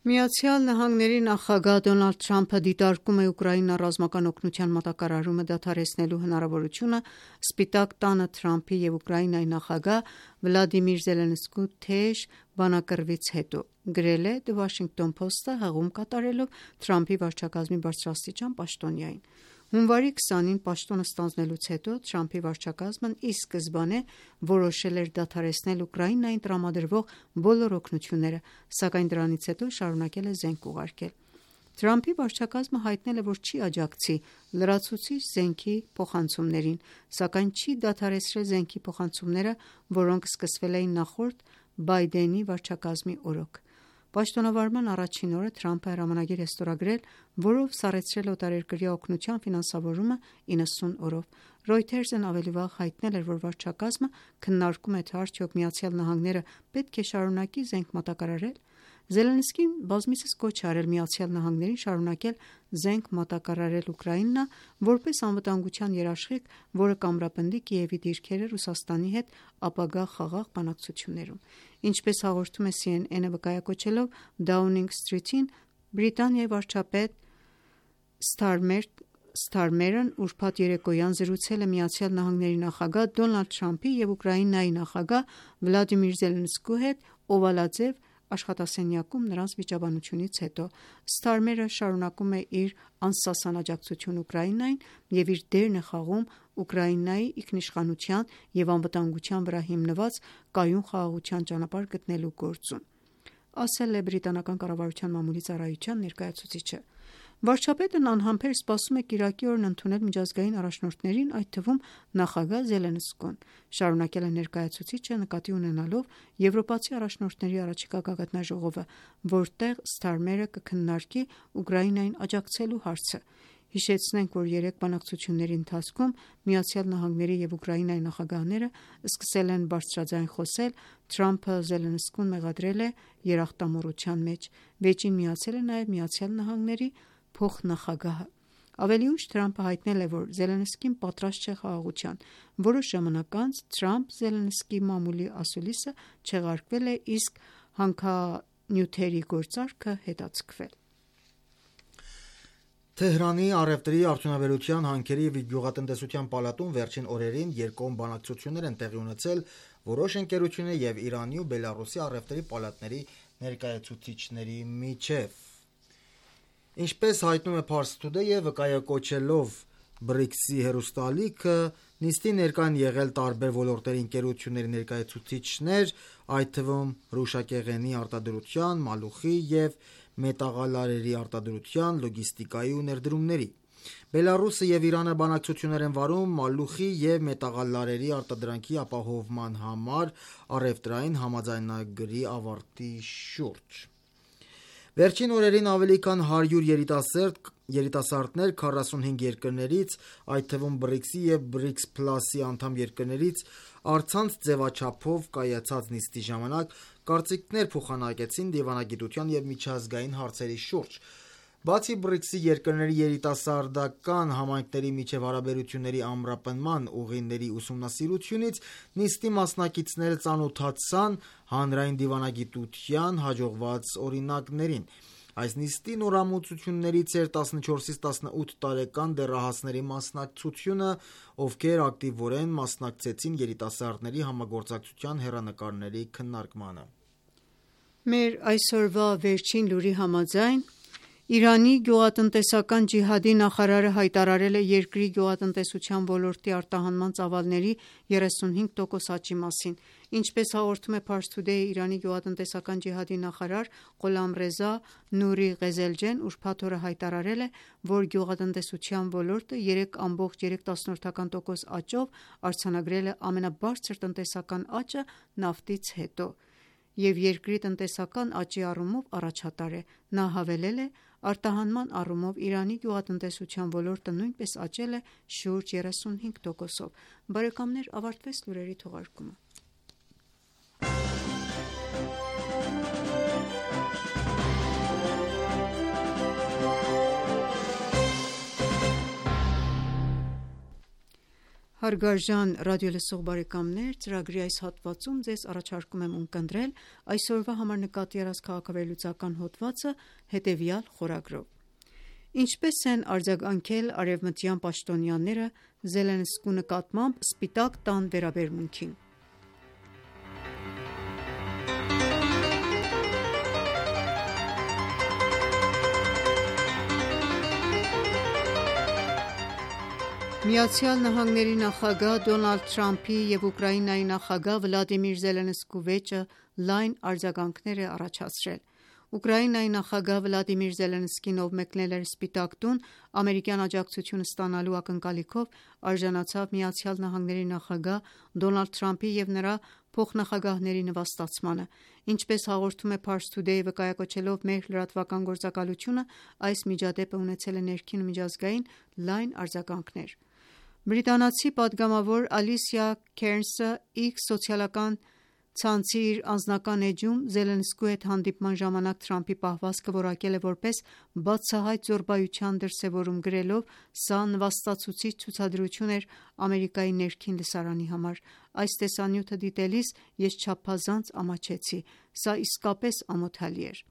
Միացյալ Նահանգների նախագահ Դոնալդ Թրամփը դիտարկում է Ուկրաինա ռազմական օգնության մատակարարումը դադարեցնելու հնարավորությունը Սպիտակ տանը Թրամփի և Ուկրաինայի նախագահ Վլադիմիր Զելենսկու թեժ բանակրվից հետո, գրել է The Washington Post-ը հղում կատարելով Թրամփի վարչակազմի բարձրաստիճան պաշտոնյային։ Հունվարի 20-ին պաշտոնը ստանձնելուց հետո Թրամփի վարչակազմն ի սկզբանե որոշել էր դադարեցնել Ուկրաինային տրամադրվող բոլոր օգնությունները, սակայն դրանից հետո շարունակել է զենք ուղարկել։ Թրամփի վարչակազմը հայտնել է, որ չի աջակցի լրացուցիչ զենքի փոխանցումներին, սակայն չի դադարեցրել զենքի փոխանցումները, որոնք սկսվել էին նախորդ Բայդենի վարչակազմի օրոք։ Պաշտոնավարման առաջին օրը Թրամփը հրամանագիր է ստորագրել, որով սառեցրել օտարերկրյա օգնության ֆինանսավորումը 90 օրով։ Reuters-ն ավելի վաղ հայտնել էր, որ վարչակազմը քննարկում է, թե արդյոք Միացյալ Նահանգները պետք է շարունակի զենք մատակարարել։ Զելենսկին բազմիցս կոչ է արել Միացյալ Նահանգներին շարունակել զենք մատակարարել Ուկրաինա, որպես անվտանգության երաշխիք, որը կամրապնդի Կիևի դիրքերը Ռուսաստանի հետ ապագա խաղաղ բանակցություններում։ Ինչպես հաղորդում է CNN-ը վկայակոչելով Downing Street-ին, Բրիտանիայի վարչապետ Ստարմերն ուրբաթ երեկոյան զրուցել է Միացյալ Նահանգների նախագահ Դոնալդ Թրամփի և Ուկրաինայի նախագահ Վլադիմիր Զելենսկու հետ օվալաձև աշխատասենյակում նրանց վիճաբանությունից հետո։ Ստարմերը շարունակում է իր անսասան աջակցություն Ուկրաինային և իր դերն է խաղում Ուկրաինայի ինքնիշխանության և անվտանգության վրա հիմնված կայուն խաղաղության ճանապարհ գտնելու գործում, ասել է բրիտանական կառավարության մամուլի ծառայության ներկայացուցիչը։ Վարչապետն անհամբեր սպասում է կիրակի օրն ընդունել միջազգային առաջնորդներին, այդ թվում նախագահ Զելենսկուն, շարունակել է ներկայացուցիչը, նկատի ունենալով եվրոպացի առաջնորդների առաջիկա գագաթնաժողովը, որտեղ Ստարմերը կքննարկի Ուկրաինային աջակցելու հարցը։ Հիշեցնենք, որ երեք բանակցությունների ընթացքում Միացյալ Նահանգների և Ուկրաինայի նախագահները սկսել են բարձրաձայն խոսել, Թրամփը Զելենսկուն մեղադրել է երախտամոռության մեջ, վեճին միացել է նաև Միացյալ Նահանգների փոխնախագահը։ Ավելի ուշ Թրամփը հայտնել է, որ Զելենսկին պատրաստ չէ խաղաղության։ Որոշ ժամանակ անց Թրամփ-Զելենսկի մամուլի ասուլիսը չեղարկվել է, իսկ հանքանյութերի գործարքը հետաձգվել։ Թեհրանի առևտրի, արդյունաբերության, հանքերի և գյուղատնտեսության պալատում վերջին օրերին երկկողմ բանակցություններ են տեղի ունեցել որոշ ընկերությունների և Իրանի ու Բելառուսի առևտրի պալատների ներկայացուցիչների միջև։ Ինչպես հայտնում է Pars Today-ը, վկայակոչելով BRICS-ի հեռուստաալիքը, նիստի ներկա են եղել տարբեր ոլորտների ընկերությունների ներկայացուցիչներ, այդ թվում հրուշակեղենի արտադրության, մալուխի և մետաղալարերի արտադրության, լոգիստիկայի ու ներդրումների։ Բելառուսը և Իրանը բանակցություններ են վարում մալուխի և մետաղալարերի արտադրանքի ապահովման համար առևտրային համաձայնագրի ավարտի շուրջ։ Վերջին օրերին ավելի քան 100 երիտասարդներ 45 երկրներից, այդ թվում BRICS-ի և BRICS Plus-ի անդամ երկրներից, առցանց ձևաչափով կայացած նիստի ժամանակ կարծիքներ փոխանակեցին դիվանագիտության և միջազգային հարցերի շուրջ։ Բացի BRICS-ի երկրների երիտասարդական համայնքների միջև հարաբերությունների ամրապնման ուղիների ուսումնասիրությունից, նիստի մասնակիցները ծանոթացան հանրային դիվանագիտության հաջողված օրինակներին։ Այս նիստի նորամուծություններից էր 14-ից 18 տարեկան դեռահասների մասնակցությունը, ովքեր ակտիվորեն մասնակցեցին երիտասարդների համագործակցության հեռանկարների քննարկմանը։ Մեր այսօրվա վերջին լուրի համաձայն Իրանի գյուղատնտեսական ջիհադի նախարարը հայտարարել է երկրի գյուղատնտեսության ոլորտի արտահանման ծավալների 35% աճի մասին։ Ինչպես հաղորդում է Pars Today-ը, Իրանի գյուղատնտեսական ջիհադի նախարար Ղոլամռեզա Նուրի Ղեզելջեն ուրբաթ օրը հայտարարել է, որ գյուղատնտեսության ոլորտը 3.3% աճով արձանագրել է ամենաբարձր տնտեսական աճը նավթից հետո և երկրի տնտեսական աճի առումով առաջատար է։ Նա հավելել է. արտահանման առումով Իրանի գյուղատնտեսության ոլորտը նույնպես աճել է շուրջ 35%-ով։ Բարեկամներ, ավարտվեց լուրերի թողարկումը։ Հարգարժան ռադիոլսող բարեկամներ, ծրագրի այս հատվածում ձեզ առաջարկում եմ ունկնդրել այսօրվա համար նկատի առած քաղաքավարլուծական հոդվածը հետևյալ խորագրով. Ինչպես են արձագանքել արևմտյան պաշտոնյաները Զելենսկու նկատմամբ Սպիտակ տան վերաբերմունքին։ ԱՄՆ նախագահ Դոնալդ Թրամփի և Ուկրաինայի նախագահ Վլադիմիր Զելենսկու վեճը լայն արձագանքներ է առաջացրել։ Ուկրաինայի նախագահ Վլադիմիր Զելենսկին, ով մեկնել էր Սպիտակ տուն ամերիկյան աջակցություն ստանալու ակնկալիքով, արժանացավ ԱՄՆ նախագահ Դոնալդ Թրամփի և նրա փոխնախագահների նվաստացմանը։ Ինչպես հաղորդում է Pars Today-ը վկայակոչելով մեր լրատվական գործակալությունը, այս միջադեպը ունեցել է ներքին ու միջազգային լայն արձագանքներ։ Բրիտանացի պատգամավոր Ալիսիա Քերնսը X սոցիալական ցանցի իր անձնական էջում Զելենսկու հետ հանդիպման ժամանակ Թրամփի պահվածքը որակել է որպես բացահայտ զոռբայության դրսևորում, գրելով. «Սա նվաստացուցիչ ցուցադրություն էր Ամերիկայի ներքին լսարանի համար։ Այս տեսանյութը դիտելիս ես չափազանց ամաչեցի։ Սա իսկապես ամոթալի էր»։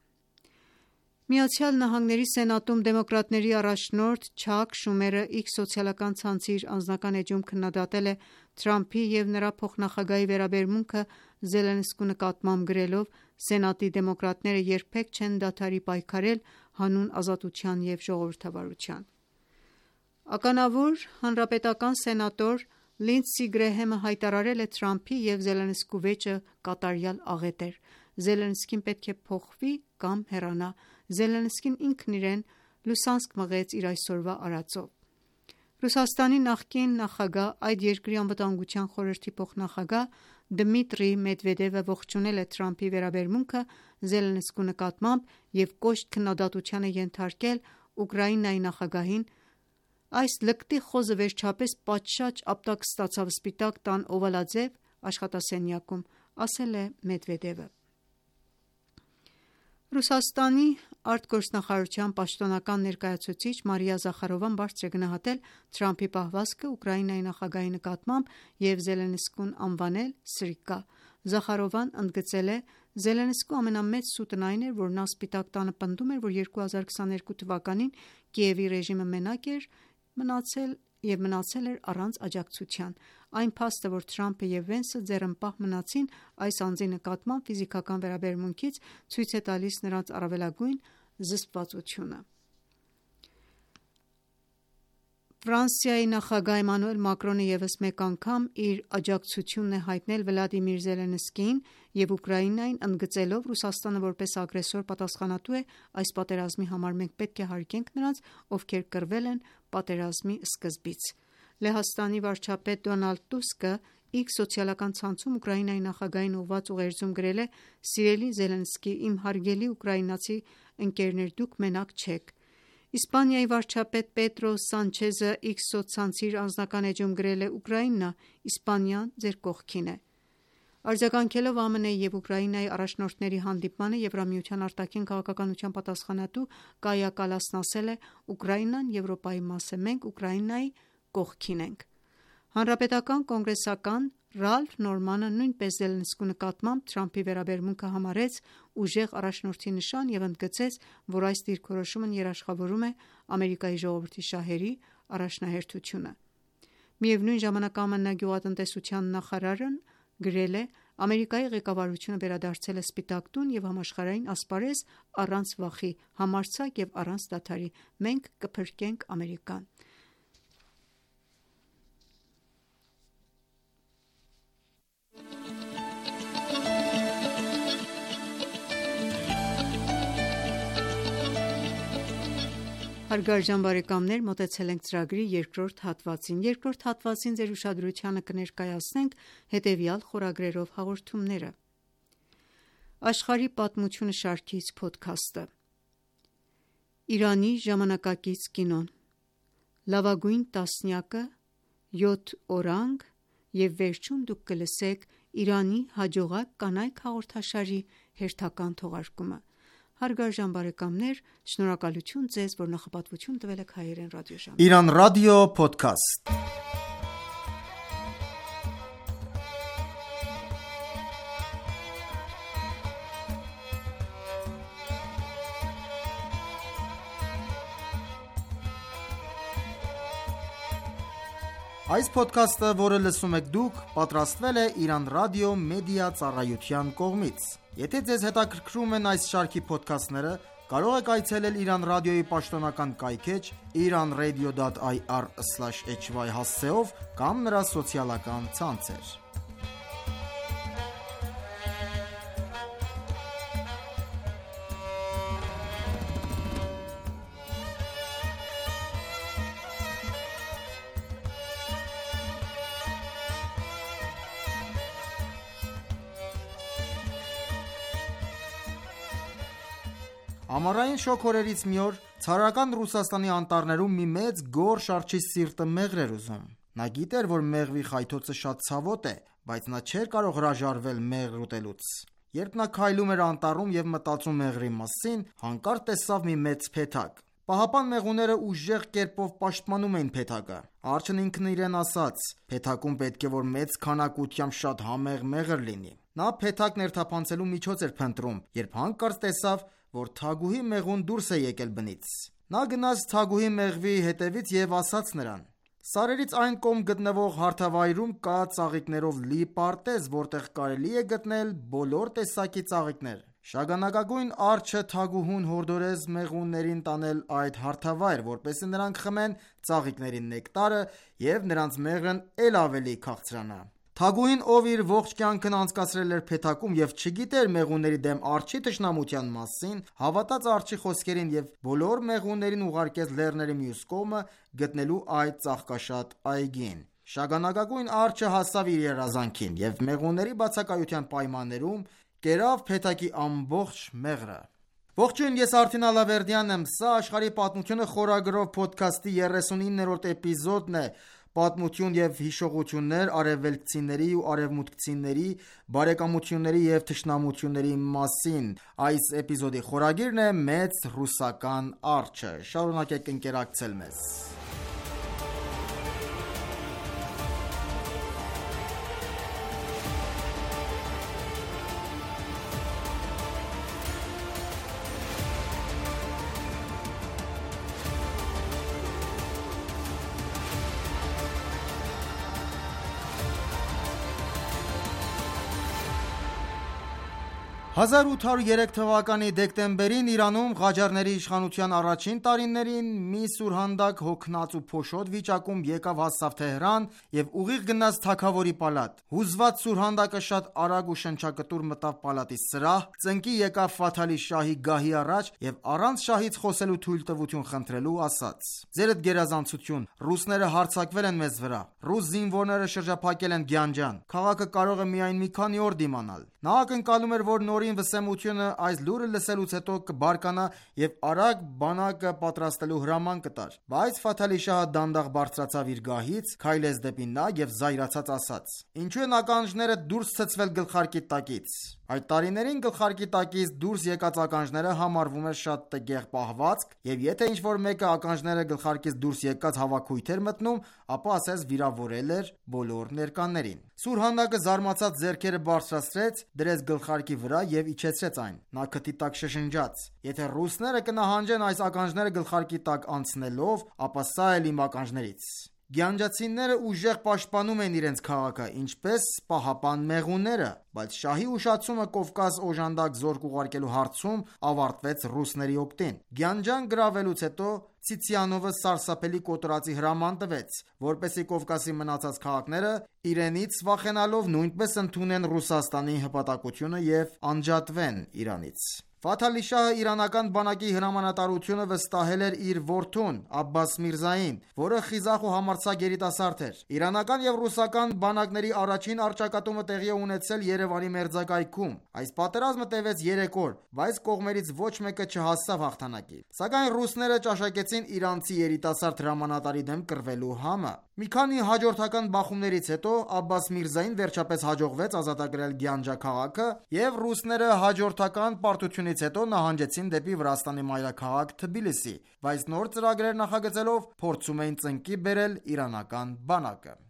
ԱՄՆ Սենատում դեմոկրատների առաջնորդ Չակ Շումերը X սոցիալական ցանցի իր անձնական էջում քննադատել է Թրամփի և նրա փոխնախագահի վերաբերմունքը Զելենսկու նկատմամբ, գրելով. «Սենատի դեմոկրատները երբեք չեն դադարի պայքարել հանուն ազատության և ժողովրդավարության»։ Ականավոր հանրապետական սենատոր Լինդսի Գրեհեմը հայտարարել է Թրամփի և Զելենսկու վեճը կատարյալ աղետ էր։ Զելենսկին պետք է փոխվի կամ հեռանա։ Զելենսկին ինքն իրեն լուսանցք մղեց իր այսօրվա արածով։ Ռուսաստանի նախկին նախագահ, այդ երկրի անվտանգության խորհրդի փոխնախագահ Դմիտրի Մեդվեդևը ողջունել է Թրամփի վերաբերմունքը Զելենսկու նկատմամբ և կոշտ քննադատության է ենթարկել Ուկրաինայի նախագահին։ «Այս լկտի խոզը վերջապես պատշաճ ապտակ ստացավ Սպիտակ տան օվալաձև աշխատասենյակում», ասել է Մեդվեդևը։ Ռուսաստանի արտգործնախարարության պաշտոնական ներկայացուցիչ Մարիա Զախարովան բարձր է գնահատել Թրամփի պահվածքը Ուկրաինայի նախագահի նկատմամբ և Զելենսկուն անվանել սրիկա։ Զախարովան ընդգծել է. «Զելենսկու ամենամեծ սուտն այն էր, որ նա Սպիտակ տանը պնդում էր, որ 2022 թվականին Կիևի ռեժիմը մենակ էր մնացել էր առանց աջակցության։ Այն փաստը, որ Թրամփը և Վենսը ձեռնպահ մնացին այս անձի նկատմամբ ֆիզիկական վերաբերմունքից, ցույց է տալիս նրանց առավելագույն զսպվածությունը»։ Ֆրանսիայի նախագահ Էմանուել Մակրոնը ևս մեկ անգամ իր աջակցությունն է հայտնել Վլադիմիր Զելենսկիին և Ուկրաինային, ընդգծելով. «Ռուսաստանը որպես ագրեսոր պատասխանատու է այս պատերազմի համար։ Մենք պետք է հարգենք նրանց, ովքեր կռվել են պատերազմի սկզբից»։ Լեհաստանի վարչապետ Դոնալդ Տուսկը X սոցիալական ցանցում Ուկրաինայի նախագահին ուղղված ուղերձում գրել է. «Սիրելի Զելենսկի, իմ հարգելի ուկրաինացի ընկերներ, դուք մենակ չեք»։ Իսպանիայի վարչապետ Պետրո Սանչեզը X սոցցանցի իր անձնական էջում գրել է. «Ուկրաինա, Իսպանիան ձեր կողքին է»։ Արձագանքելով ԱՄՆ-ի և Ուկրաինայի առաջնորդների հանդիպմանը, Եվրամիության արտաքին քաղաքականության պատասխանատու Կայա Կալասն ասել է. «Ուկրաինան Եվրոպայի մաս է, մենք Ուկրաինայի կողքին ենք»։ Հանրապետական կոնգրեսական Ռալֆ Նորմանը նույնպես Զելենսկու նկատմամբ Թրամփի վերաբերմունքը համարեց ուժեղ առաջնորդի նշան և ընդգծեց, որ այս դիրքորոշումն երաշխավորում է Ամերիկայի ժողովրդի շահերի առաջնահերթությունը։ Միևնույն ժամանակ ԱՄՆ գյուղատնտեսության նախարարն գրել է. «Ամերիկայի ղեկավարությունը վերադարձել է Սպիտակ տուն և համաշխարհային ասպարեզ առանց վախի, համարձակ և առանց դադարի։ Մենք կփրկենք Ամերիկան»։ Հարգարժան բարեկամներ, մոտեցել ենք ծրագրի երկրորդ հատվածին։ Երկրորդ հատվածին ձեր ուշադրությանը կներկայացնենք հետևյալ խորագրերով հաղորդումները. Աշխարհի պատմությունը շարքից փոդքասթը, Իրանի ժամանակակից կինոն, Լավագույն տասնյակը, 7 օրանգ և վերջում դուք կլսեք Իրանի հաջողակ կանայք հաղորդաշարի հերթական թողարկումը։ Հարգարժան բարեկամներ, շնորհակալություն ձեզ, որ նախապատվություն տվել եք Հայերեն ռադիոժամին։ Իրանրադիո Փոդքասթ։ Այս ոդքասթը, որը լսում եք դուք, պատրաստվել է Իրան Ռադիո Մեդիա Ծառայության կողմից։ Եթե ձեզ հետաքրքրում են այս շարքի ոդքասթները, կարող եք այցելել Իրան Ռադիոյի պաշտոնական կայքէջ iranradio.ir/hy հասցեով կամ նրա սոցիալական ցանցեր։ Ամառային շոգ օրերից մի օր ցարական Ռուսաստանի անտառներում մի մեծ գորշ արջի սիրտը մեղր էր ուզում։ Նա գիտեր, որ մեղվի խայթոցը շատ ցավոտ է, բայց նա չէր կարող հրաժարվել մեղր ուտելուց։ Երբ նա քայլում էր անտառում եւ մտածում մեղրի մասին, հանկարծ տեսավ մի մեծ փեթակ։ Պահապան մեղուները ուժեղ կերպով պաշտպանում էին փեթակը։ Արջն ինքն իրեն ասաց. «Փեթակում պետք է որ մեծ քանակությամբ շատ համեղ մեղր լինի»։ Նա փեթակն ներթափանցելու միջոց էր փնտրում, երբ հանկարծ տեսավ, որ թագուհի մեղուն դուրս է եկել բնից։ Նա գնաց թագուհի մեղվի հետևից եւ ասաց նրան. «Սարերից այն կողմ գտնվող հարթավայրում կա ծաղիկներով լի պարտեզ, որտեղ կարելի է գտնել բոլոր տեսակի ծաղիկներ»։ Շագանակագույն արջը թագուհուն հորդորեց մեղուներին տանել այդ հարթավայր, որպեսզի նրանք խմեն ծաղիկների նեկտարը եւ նրանց մեղրն էլ ավելի քաղցրանա։ Թագուհին, ով իր ողջ կյանքն անցկացրել էր փեթակում եւ չգիտեր մեղուների դեմ արջի թշնամության մասին, հավատաց արջի խոսքերին եւ բոլոր մեղուներին ուղարկեց լեռների մյուս կողմը գտնելու այդ ծաղկաշատ այգին։ Շագանակագույն արջը հասավ իր երազանքին եւ մեղուների բացակայության պայմաններում կերավ փեթակի ամբողջ մեղրը։ Ողջույն, ես Արթին Ալավերդյանն եմ, սա աշխարհի պատմությունը խորագրով ոդքասթի 39-րդ էպիզոդն է։ Պատմություն եւ հիշողություններ արևելքցիների ու արևմուտքցիների բարեկամությունների եւ թշնամությունների մասին։ Այս էպիզոդի խորագիրն է Մեծ ռուսական արջը։ Շարունակեք ընկերակցել մեզ։ «1803 թվականի դեկտեմբերին Իրանում Ղաջարների իշխանության առաջին տարիներին մի սուրհանդակ հոգնած ու փոշոտ վիճակում եկավ հասավ Թեհրան եւ ուղիղ գնաց թագավորի պալատ։ Հուզված սուրհանդակը շատ արագ ու շնչակտուր մտավ պալատի սրահ, ծնկի եկավ Ֆաթալի շահի գահի առաջ եւ առանց շահից խոսելու թույլտվություն խնդրելու ասաց. «Ձերդ գերազանցություն, ռուսները հարձակվել են մեզ վրա։ Ռուս զինվորները շրջափակել են Գյանջան։ Քաղաքը կարող է միայն մի քանի օր դիմանալ»։ Նա ակնկալում էր, որ նորին վսեմությունը այս լուրը լսելուց հետո կբարկանա եւ արագ բանակը պատրաստելու հրաման կտար։ Բայց Ֆաթալի շահը դանդաղ բարձրացավ իր գահից, քայլեց դեպի նա եւ զայրացած ասաց. «Ինչու են ականջները դուրս ցցվել գլխարկի տակից»։ Այդ տարիներին գլխարկի տակից դուրս եկած ականջները համարվում էր շատ տգեղ պահվածք, եւ եթե ինչ-որ մեկը ականջները գլխարկից դուրս եկած հավաքույթ էր մտնում, ապա ասես վիրավորել էր բոլոր ներկաներին։ Սուրհանդակը զարմացած ձեռքերը բարձրացրեց, դրեց գլխարկի վրա եւ իջեցրեց այն։ Նա քթի տակ շշնջաց. «Եթե ռուսները կնահանջեն այս ականջները գլխարկի տակ անցնելով, ապա սա էլ իմ ականջներից»։ Գյանջացիները ուժեղ պաշտպանում են իրենց քաղաքը, ինչպես պահապան մեղուները, բայց շահի ուշացումը Կովկաս օժանդակ զորք ուղարկելու հարցում ավարտվեց ռուսների օգտին։ Գյանջան գրավելուց հետո Ցիցիանովը սարսափելի կոտորածի հրաման տվեց, որպեսզի Կովկասի մնացած քաղաքները իրենից վախենալով նույնպես ընդունեն Ռուսաստանի հպատակությունը եւ անջատվեն Իրանից։ Ֆաթալի շահը իրանական բանակի հրամանատարությունը վստահել էր իր որդուն Աբբաս Միրզային, որը խիզախ ու համարձակ երիտասարդ էր։ Իրանական եւ ռուսական բանակների առաջին առճակատումը տեղի է ունեցել Երևանի մերձակայքում։ Այս պատերազմը տևեց 3 օր, բայց կողմերից ոչ մեկը չհասավ հաղթանակի։ Սակայն ռուսները ճաշակեցին իրանցի երիտասարդ հրամանատարի դեմ կռվելու համը։ Մի քանի հաջորդական բախումներից հետո Աբբաս Միրզային վերջապես հաջողվեց ազատագրել Գյանջա քաղաքը եւ ռուսները հաջորդական պարտությունից հետո նահանջեցին դեպի Վրաստանի մայրաքաղաք Թբիլիսի, բայց նոր ծրագրեր նախագծելով փորձում էին ծնկի բերել իրանական բանակը։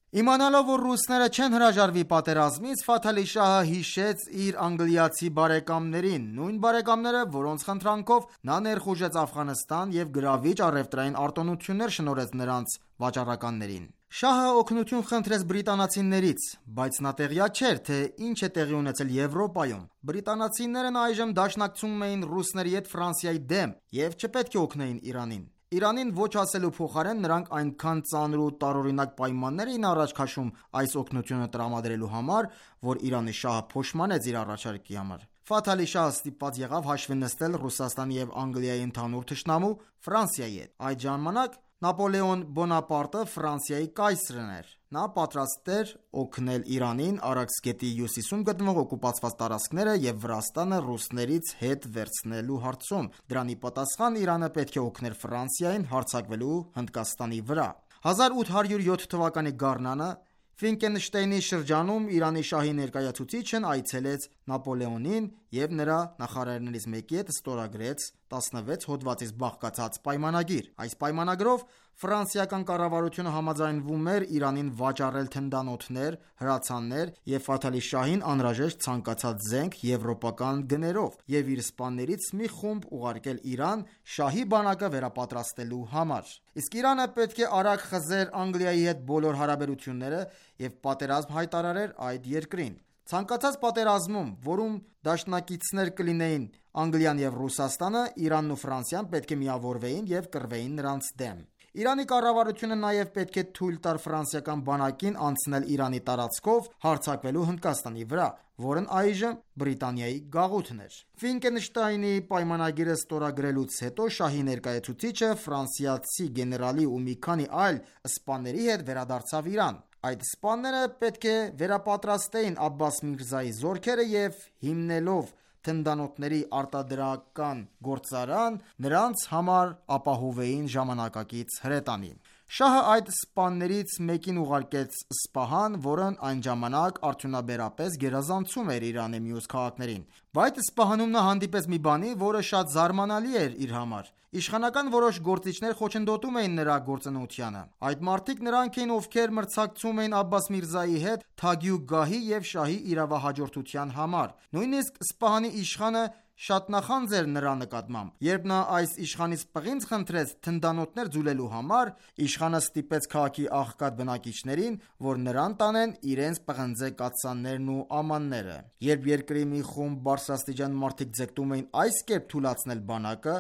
Իմանալով, որ ռուսները չեն հրաժարվի պատերազմից, Ֆաթալի շահը հիշեց իր անգլիացի բարեկամներին, նույն բարեկամները, որոնց խնդրանքով նա ներխուժեց Աֆղանստան եւ գրավիչ առևտրային արտոնություններ շնորհեց նրանց վաճառականներին։ Շահը օգնություն խնդրեց բրիտանացիներից, բայց նա տեղյակ չէր, թե ինչ է տեղի ունեցել Եվրոպայում։ Բրիտանացիներն այժմ դաշնակցում էին ռուսների հետ Ֆրանսիայի դեմ և չպետք է օգնեին Իրանին։ Իրանին ոչ ասելու փոխարեն նրանք այնքան ծանր ու տարօրինակ պայմաններ էին առաջ քաշում այս օգնությունը տրամադրելու համար, որ Իրանի շահը փոշմանեց իր առաջարկի համար։ Ֆաթ Ալի Շահը ստիպված եղավ հաշվի նստել Ռուսաստանի և Անգլիայի ընդհանուր թշնամու Ֆրանսիայի հետ։ Այդ ժամանակ Նապոլեոն Բոնապարտը Ֆրանսիայի կայսրն էր։ Նա պատրաստ էր օգնել Իրանին Արաքս գետի հյուսիսում գտնվող օկուպացված տարածքները և Վրաստանը ռուսներից հետ վերցնելու հարցում։ Դրանի պատասխան Իրանը պետք է օգներ Ֆրանսիային հարձակվելու Հնդկաստանի վրա։ 1807 թվականի գարնանը Ֆինկենշտեյնի շրջանում Իրանի շահի ներկայացուցիչն այցելեց Նապոլեոնին և նրա նախարարներից մեկի հետ ստորագրեց 16 հոդվածից բաղկացած պայմանագիր։ Այս պայմանագրով ֆրանսիական կառավարությունը համաձայնվում էր Իրանին վաճառել թնդանոթներ, հրացաններ և Ֆաթ Ալի Շահին անհրաժեշտ ցանկացած զենք եվրոպական գներով և իր սպաներից մի խումբ ուղարկել Իրան շահի բանակը վերապատրաստելու համար։ Իսկ Իրանը պետք է արագ խզեր Անգլիայի հետ բոլոր հարաբերությունները և պատերազմ հայտարարեր այդ երկրին։ Ցանկացած պատերազմում, որում դաշնակիցներ կլինեին Անգլիան և Ռուսաստանը, Իրանն ու Ֆրանսիան պետք է միավորվեին և կռվեին նրանց դեմ։ Իրանի կառավարությունը նաև պետք է թույլ տար ֆրանսիական բանակին անցնել Իրանի տարածքով հարձակվելու Հնդկաստանի վրա, որն այժմ Բրիտանիայի գաղութն էր։ Ֆինկենշտայնի պայմանագիրը ստորագրելուց հետո շահի ներկայացուցիչը ֆրանսիացի գեներալի ու մի քանի այլ սպաների հետ վերադարձավ Իրան։ Այդ սպաները պետք է վերապատրաստեին Աբբաս Միրզայի զորքերը և հիմնելով թնդանոթների արտադրական գործարան, նրանց համար ապահովեին ժամանակակից հրետանի։ Շահը այդ սպաներից մեկին ուղարկեց Սպահան, որն այն ժամանակ արդյունաբերապես գերազանցում էր Իրանի մյուս քաղաքներին։ Բայց Սպահանում նա հանդիպեց մի բանի, որը շատ զարմանալի էր իր համար։ Իշխանական որոշ գործիչներ խոչընդոտում էին նրա գործունեությանը։ Այդ մարդիկ նրանք էին, ովքեր մրցակցում էին Աբբաս Միրզայի հետ թագի ու գահի և շահի իրավահաջորդության համար։ Նույնիսկ Սպահանի իշխանը շատ նախանձ էր նրա նկատմամբ։ Երբ նա այս իշխանից պղինձ խնդրեց թնդանոթներ ձուլելու համար, իշխանը ստիպեց քաղաքի աղքատ բնակիչներին, որ նրան տանեն իրենց պղնձե կաթսաներն ու ամանները։ Երբ երկրի մի խումբ բարձրաստիճան մարդիկ ձգտում էին այս կերպ թուլացնել բանակը,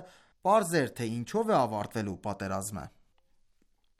պարզ էր, թե ինչով է ավարտվելու պատերազմը։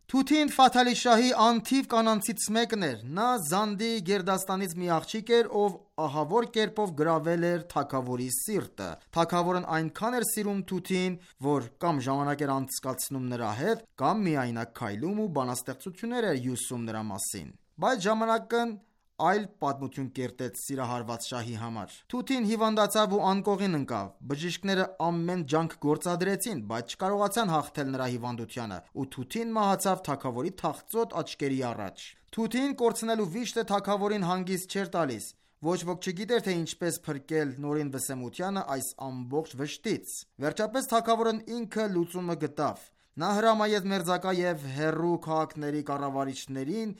Թութին Ֆաթ Ալի Շահի անթիվ կանանցից մեկն էր։ Նա Զանդի գերդաստանից մի աղջիկ էր, ով ահավոր կերպով գրավել էր թագավորի սիրտը։ Թագավորն այնքան էր սիրում Թութին, որ կամ ժամանակ էր անցկացնում նրա հետ, կամ միայնակ քայլում ու բանաստեղծություններ էր հյուսում նրա մասին։ Բայց ժամանակն այլ պատմություն կերտեց սիրահարված շահի համար։ Թութին հիվանդացավ ու անկողին ընկավ։ Բժիշկները ամեն ջանք գործադրեցին, բայց չկարողացան հաղթել նրա հիվանդությանը, ու Թութին մահացավ թագավորի թախծոտ աչքերի առաջ։ Թութին կորցնելու վիշտը թագավորին հանգիստ չէր տալիս։ Ոչ ոք չգիտեր, թե ինչպես փրկել Նորին Վսեմությանը այս ամբողջ վշտից։ Վերջապես թագավորն ինքը լուծումը գտավ։ Նա հրամայեց մերձակա և հեռու քաղաքների կառավարիչներին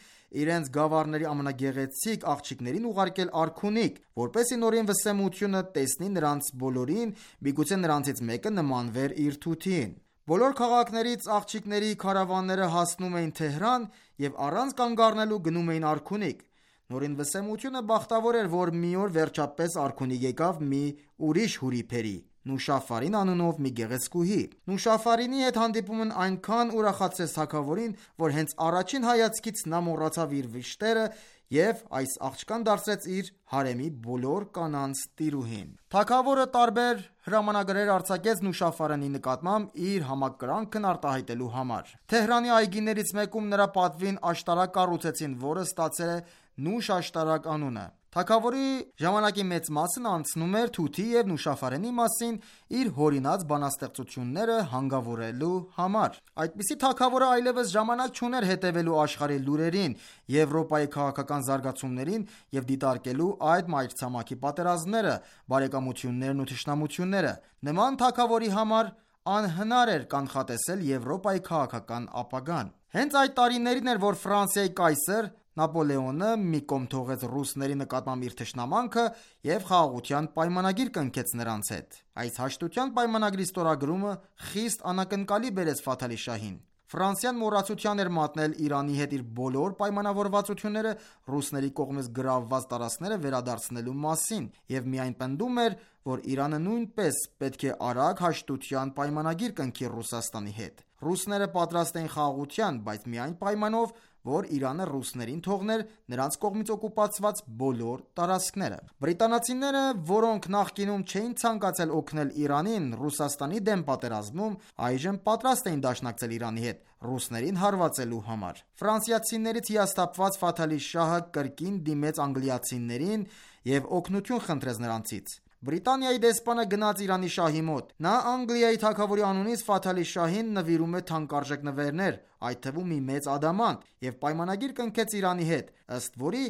իրենց գավառների ամենագեղեցիկ աղջիկներին ուղարկել արքունիք, որպեսզի Նորին Վսեմությունը տեսնի նրանց բոլորին, միգուցե նրանցից մեկը նմանվեր իր Թութիին։ Բոլոր քաղաքներից աղջիկների քարավանները հասնում էին Թեհրան և առանց կանգ առնելու գնում էին արքունիք։ Նորին Վսեմությունը բախտավոր էր, որ մի օր վերջապես արքունիք եկավ մի ուրիշ հուրիփերի՝ Նուշաֆարին անունով մի գեղեցկուհի։ Նուշաֆարինի հետ հանդիպումն այնքան ուրախացրեց թագավորին, որ հենց առաջին հայացքից նա մոռացավ իր վիշտերը և այս աղջկան դարձրեց իր հարեմի բոլոր կանանց տիրուհին։ Թագավորը տարբեր հրամանագրեր արձակեց Նուշաֆարինի նկատմամբ իր համակրանքն արտահայտելու համար։ Թեհրանի այգիներից մեկում նրա պատվին աշտարակ կառուցեցին, որը ստացել է Նուշ աշտարակ անունը։ Թագավորի ժամանակի մեծ մասն անցնում էր Թութի և Նուշաֆարինի մասին իր հորինած բանաստեղծությունները հանգավորելու համար։ Այդպիսի թագավորը այլևս ժամանակ չուներ հետևելու աշխարհի լուրերին, Եվրոպայի քաղաքական զարգացումներին և դիտարկելու այդ մայրցամաքի պատերազմները, բարեկամություններն ու թշնամությունները։ Նման թագավորի համար անհնար էր կանխատեսել Եվրոպայի քաղաքական ապագան։ Հենց այդ տարիներին էր, որ Ֆրանսիայի կայսր Նապոլեոնը մի կողմ թողեց ռուսների նկատմամբ իր թշնամանքը և խաղաղության պայմանագիր կնքեց նրանց հետ։ Այս հաշտության պայմանագրի ստորագրումը խիստ անակնկալի բերեց Ֆաթ Ալի Շահին։ Ֆրանսիան մոռացության էր մատնել Իրանի հետ իր բոլոր պայմանավորվածությունները ռուսների կողմից գրավված տարածքները վերադարձնելու մասին և միայն պնդում էր, որ Իրանը նույնպես պետք է արագ հաշտության պայմանագիր կնքի Ռուսաստանի հետ։ Ռուսները պատրաստ էին խաղաղության, բայց միայն պայմանով, որ Իրանը ռուսներին թողներ նրանց կողմից օկուպացված բոլոր տարածքները։ Բրիտանացիները, որոնք նախկինում չէին ցանկացել օգնել Իրանին Ռուսաստանի դեմ պատերազմում, այժմ պատրաստ էին դաշնակցել Իրանի հետ ռուսներին հարվածելու համար։ Ֆրանսիացիներից հիասթափված Ֆաթալի շահը կրկին դիմեց անգլիացիներին և օգնություն խնդրեց նրանցից։ Բրիտանիայի դեսպանը գնաց Իրանի շահի մոտ։ Նա Անգլիայի թագավորի անունից Ֆաթալի շահին նվիրում է թանկարժեք նվերներ, այդ թվում մի մեծ ադամանտ, և պայմանագիր կնքեց Իրանի հետ, ըստ որի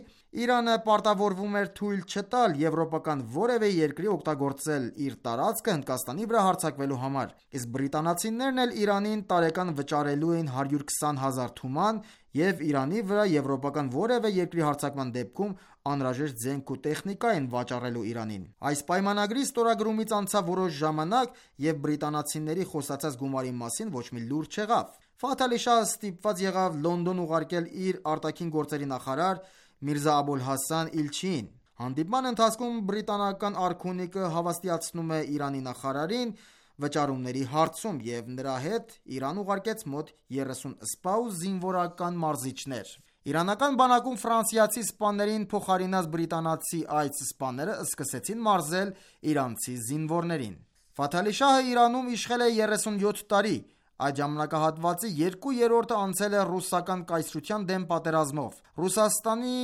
Իրանը պարտավորվում էր թույլ չտալ եվրոպական որևէ երկրի օգտագործել իր տարածքը Հնդկաստանի վրա հարձակվելու համար, իսկ բրիտանացիներն էլ Իրանին տարեկան վճարելու էին 120,000 թուման և Իրանի վրա եվրոպական որևէ երկրի հարձակման դեպքում անհրաժեշտ զենք ու տեխնիկա են վաճառելու Իրանին։ Այս պայմանագրի ստորագրումից անցավ որոշ ժամանակ և բրիտանացիների խոսացած գումարի մասին ոչ մի լուր չեղավ։ Ֆաթալի շահը ստիպված եղավ Լոնդոն ուղարկել իր արտաքին գործերի նախարար Միրզա Աբոլ Հասան Իլչիին։ Հանդիպման ընթացքում բրիտանական արքունիկը հավաստիացնում է Իրանի նախարարին վճարումների հարցում և նրա հետ Իրան ուղարկեց մոտ 30 սպա ու զինվորական մարզիչներ։ Իրանական բանակում ֆրանսիացի սպաներին փոխարինած բրիտանացի այս սպաները սկսեցին մարզել իրանցի զինվորներին։ Ֆաթալի շահը Իրանում իշխել է 37 տարի։ Այդ ժամանակահատվածի 2/3-ը անցել է ռուսական կայսրության դեմ պատերազմով։ Ռուսաստանի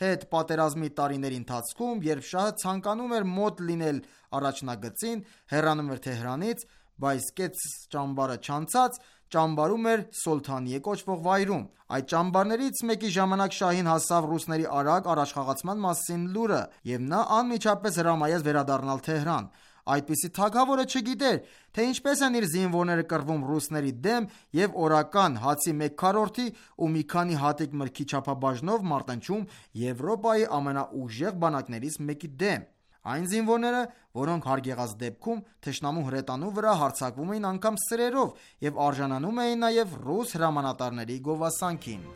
հետ պատերազմի տարիների ընթացքում, երբ շահը ցանկանում էր մոտ լինել առաջնագծին, հեռանում էր Թեհրանից, բայց կեց ճամբարը չանցած, ճամբարում էր Սոլթանիե կոչվող վայրում։ Այդ ճամբարներից մեկի ժամանակ շահին հասավ ռուսների արագ առաջխաղացման մասին լուրը, և նա անմիջապես հրամայեց վերադառնալ Թեհրան։ Այդպիսի թագավորը չգիտեր, թե ինչպես են իր զինվորները կռվում ռուսների դեմ և օրական հացի 1/4 ու մի քանի հատիկ մրգի չափաբաժնով մարտնչում Եվրոպայի ամենաուժեղ բանակներից մեկի դեմ։ Այն զինվորները, որոնք հարգեղած դեպքում թշնամու հրետանու վրա հարձակվում էին անգամ սրերով և արժանանում էին նաև ռուս հրամանատարների գովասանքին։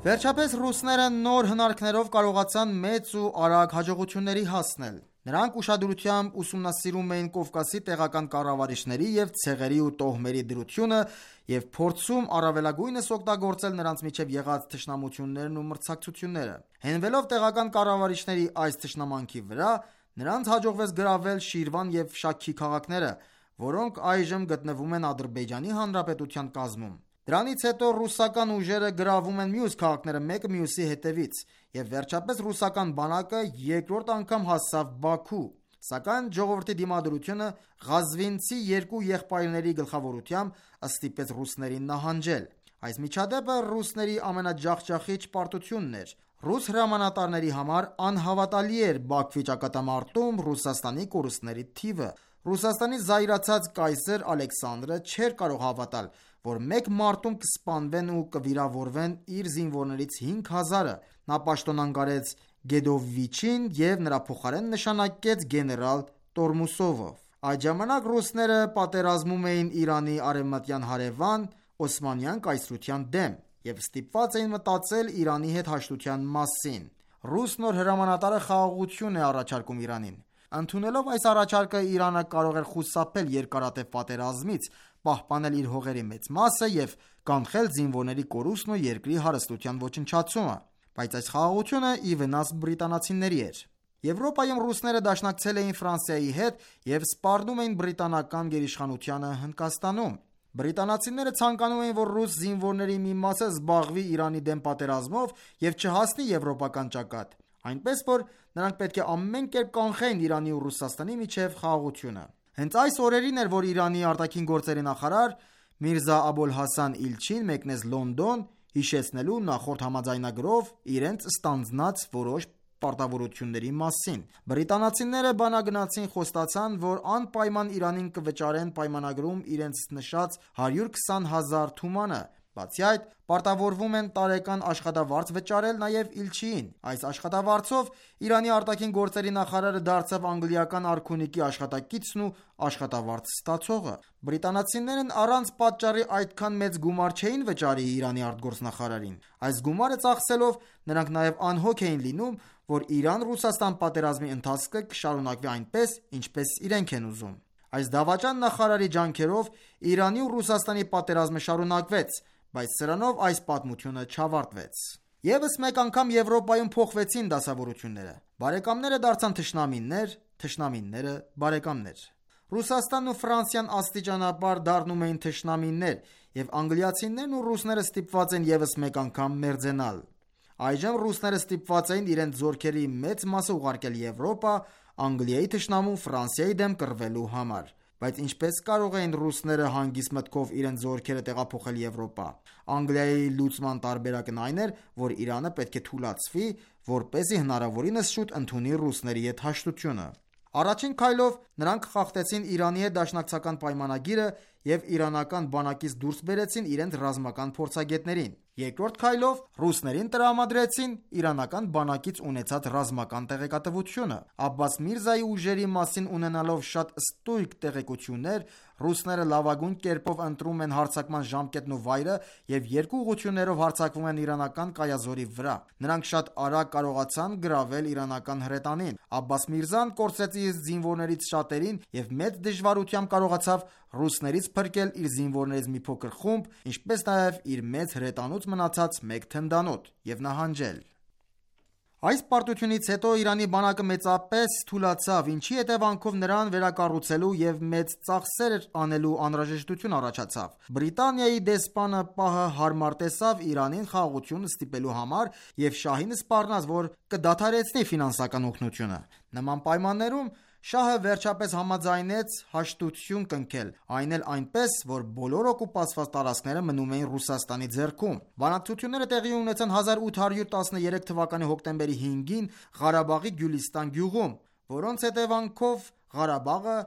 Վերջապես ռուսները նոր հնարքներով կարողացան մեծ ու արագ հաջողությունների հասնել։ Նրանք ուշադրությամբ ուսումնասիրում էին Կովկասի տեղական կառավարիչների և ցեղերի ու տոհմերի դրությունը և փորձում առավելագույնս օգտագործել նրանց միջև եղած թշնամություններն ու մրցակցությունները։ Հենվելով տեղական կառավարիչների այս թշնամանքի վրա, նրանց հաջողվեց գրավել Շիրվան և Շաքքի քաղաքները, որոնք այժմ գտնվում են Ադրբեջանի Հանրապետության կազմում։ Դրանից հետո ռուսական ուժերը գրավում են մյուս քաղաքները մեկը մյուսի հետևից, և վերջապես ռուսական բանակը երկրորդ անգամ հասավ Բաքու, սակայն ժողովրդի դիմադրությունը ղազվինցի երկու եղբայրների գլխավորությամբ ստիպեց ռուսներին նահանջել։ Այս միջադեպը ռուսների ամենաջախջախիչ պարտությունն էր։ Ռուս հրամանատարների համար անհավատալի էր Բաքվի ճակատամարտում Ռուսաստանի կորուստների թիվը։ Ռուսաստանի զայրացած կայսր Ալեքսանդրը չէր կարող հավատալ, որ մեկ մարտում կսպանվեն ու կվիրավորվեն իր զինվորներից 5000-ը։ Նա պաշտոնանկարեց Գեդովիչին և նրա փոխարեն նշանակեց գեներալ Տորմուսովը։ Այդ ժամանակ ռուսները պատերազմում էին Իրանի արևմտյան հարևան Օսմանյան կայսրության դեմ և ստիպված էին մտածել Իրանի հետ հաշտության մասին։ Ռուս նոր հրամանատարը խաղաղություն է առաջարկում Իրանին։ Ընդունելով այս առաջարկը, Իրանը կարող էր խուսափել երկարատև պատերազմից, պահպանել իր հողերի մեծ մասը և կանխել զինվորների կորուստն ու երկրի հարստության ոչնչացումը, բայց այս խաղաղությունը ի վնաս բրիտանացիների էր։ Եվրոպայում ռուսները դաշնակցել էին Ֆրանսիայի հետ և սպառնում էին բրիտանական գերիշխանությանը Հնդկաստանում։ Բրիտանացիները ցանկանում էին, որ ռուս զինվորների մի մասը զբաղվի Իրանի դեմ պատերազմով և չհասնի եվրոպական ճակատ, այնպես որ նրանք պետք է ամեն կերպ կանխեին Իրանի ու Ռուսաստանի միջև խաղաղությունը։ Հենց այս օրերին էր, որ Իրանի արտաքին գործերի նախարար Միրզա Աբոլ Հասան Իլչին մեկնեց Լոնդոն՝ հիշեցնելու նախորդ համաձայնագրով իրենց ստանձնած որոշ պարտավորությունների մասին։ Բրիտանացիները բանագնացին խոստացան, որ անպայման Իրանին կվճարեն պայմանագրում իրենց նշած 120,000 թումանը։ Բացի այդ, պարտավորվում են տարեկան աշխատավարձ վճարել նաև Իլչիին։ Այս աշխատավարձով Իրանի արտաքին գործերի նախարարը դարձավ անգլիական արքունիքի աշխատակիցն ու աշխատավարձ ստացողը։ Բրիտանացիներն առանց պատճառի այդքան մեծ գումար չէին վճարի Իրանի արտգործնախարարին։ Այս գումարը ծախսելով նրանք նաև անհոգ էին լինում, որ Իրան-Ռուսաստան պատերազմի ընթացքը կշարունակվի այնպես, ինչպես իրենք են ուզում։ Այս դավաճան նախարարի ջանքերով Իրանի ու Ռուսաստանի պատերազմը շարունակվեց, բայց սրանով այս պատմությունը չավարտվեց։ Եվս մեկ անգամ Եվրոպայում փոխվեցին դասավորությունները։ Բարեկամները դարձան թշնամիներ, թշնամիները բարեկամներ։ Ռուսաստանն ու Ֆրանսիան աստիճանաբար դառնում էին թշնամիներ, եւ անգլիացիներն ու ռուսները ստիպված են եւս մեկ անգամ մերձենալ։ Այժմ ռուսները ստիպված էին իրենց զորքերի մեծ մասը ուղարկել Եվրոպա, Անգլիայի թշնամու Ֆրանսիայի դեմ կռվելու համար։ Բայց ինչպես կարող էին ռուսները հանգիստ մտքով իրենց զորքերը տեղափոխել Եվրոպա։ Անգլիայի լուծման տարբերակն այն էր, որ Իրանը պետք է թուլացվի, որպեսզի հնարավորինս շուտ ընդունի ռուսների հետ հաշտությունը։ Առաջին քայլով նրանք խախտեցին Իրանի հետ դաշնակցական պայմանագիրը եւ իրանական բանակից դուրս բերեցին իրենց ռազմական փորձագետներին։ Երկրորդ քայլով ռուսներին տրամադրեցին իրանական բանակից ունեցած ռազմական տեղեկատվությունը։ Աբբաս Միրզայի ուժերի մասին ունենալով շատ ստույգ տեղեկություններ, ռուսները լավագույն կերպով ընտրում են հարձակման ժամկետն ու վայրը եւ երկու ուղղություններով հարձակվում են իրանական կայազորի վրա։ Նրանք շատ արագ կարողացան գրավել իրանական հրետանին։ Աբբաս Միրզան կորցրեց իր զինվորներից շատերին եւ մեծ դժվարությամբ կարողացավ ռուսներից փրկել իր զինվորներից մի փոքր խումբ, ինչպես նաև իր մեծ հրետանուց մնացած մեկ թնդանոթ եւ նահանջել։ Այս պարտությունից հետո Իրանի բանակը մեծապես թուլացավ, ինչի հետևանքով նրան վերակառուցելու եւ մեծ ծախսեր անելու անհրաժեշտություն առաջացավ։ Բրիտանիայի դեսպանը պահը հարմար տեսավ Իրանին խաղաղություն ստիպելու համար եւ շահին սպառնաց, որ կդադարեցնի ֆինանսական օգնությունը։ Նման պայմաններում շահը վերջապես համաձայնեց հաշտություն կնքել, այն էլ այնպես, որ բոլոր օկուպացված տարածքները մնում էին Ռուսաստանի ձեռքում։ Բանակցությունները տեղի ունեցան 1813 թվականի հոկտեմբերի 5-ին Ղարաբաղի Գյուլիստան գյուղում, որոնց հետևանքով Ղարաբաղը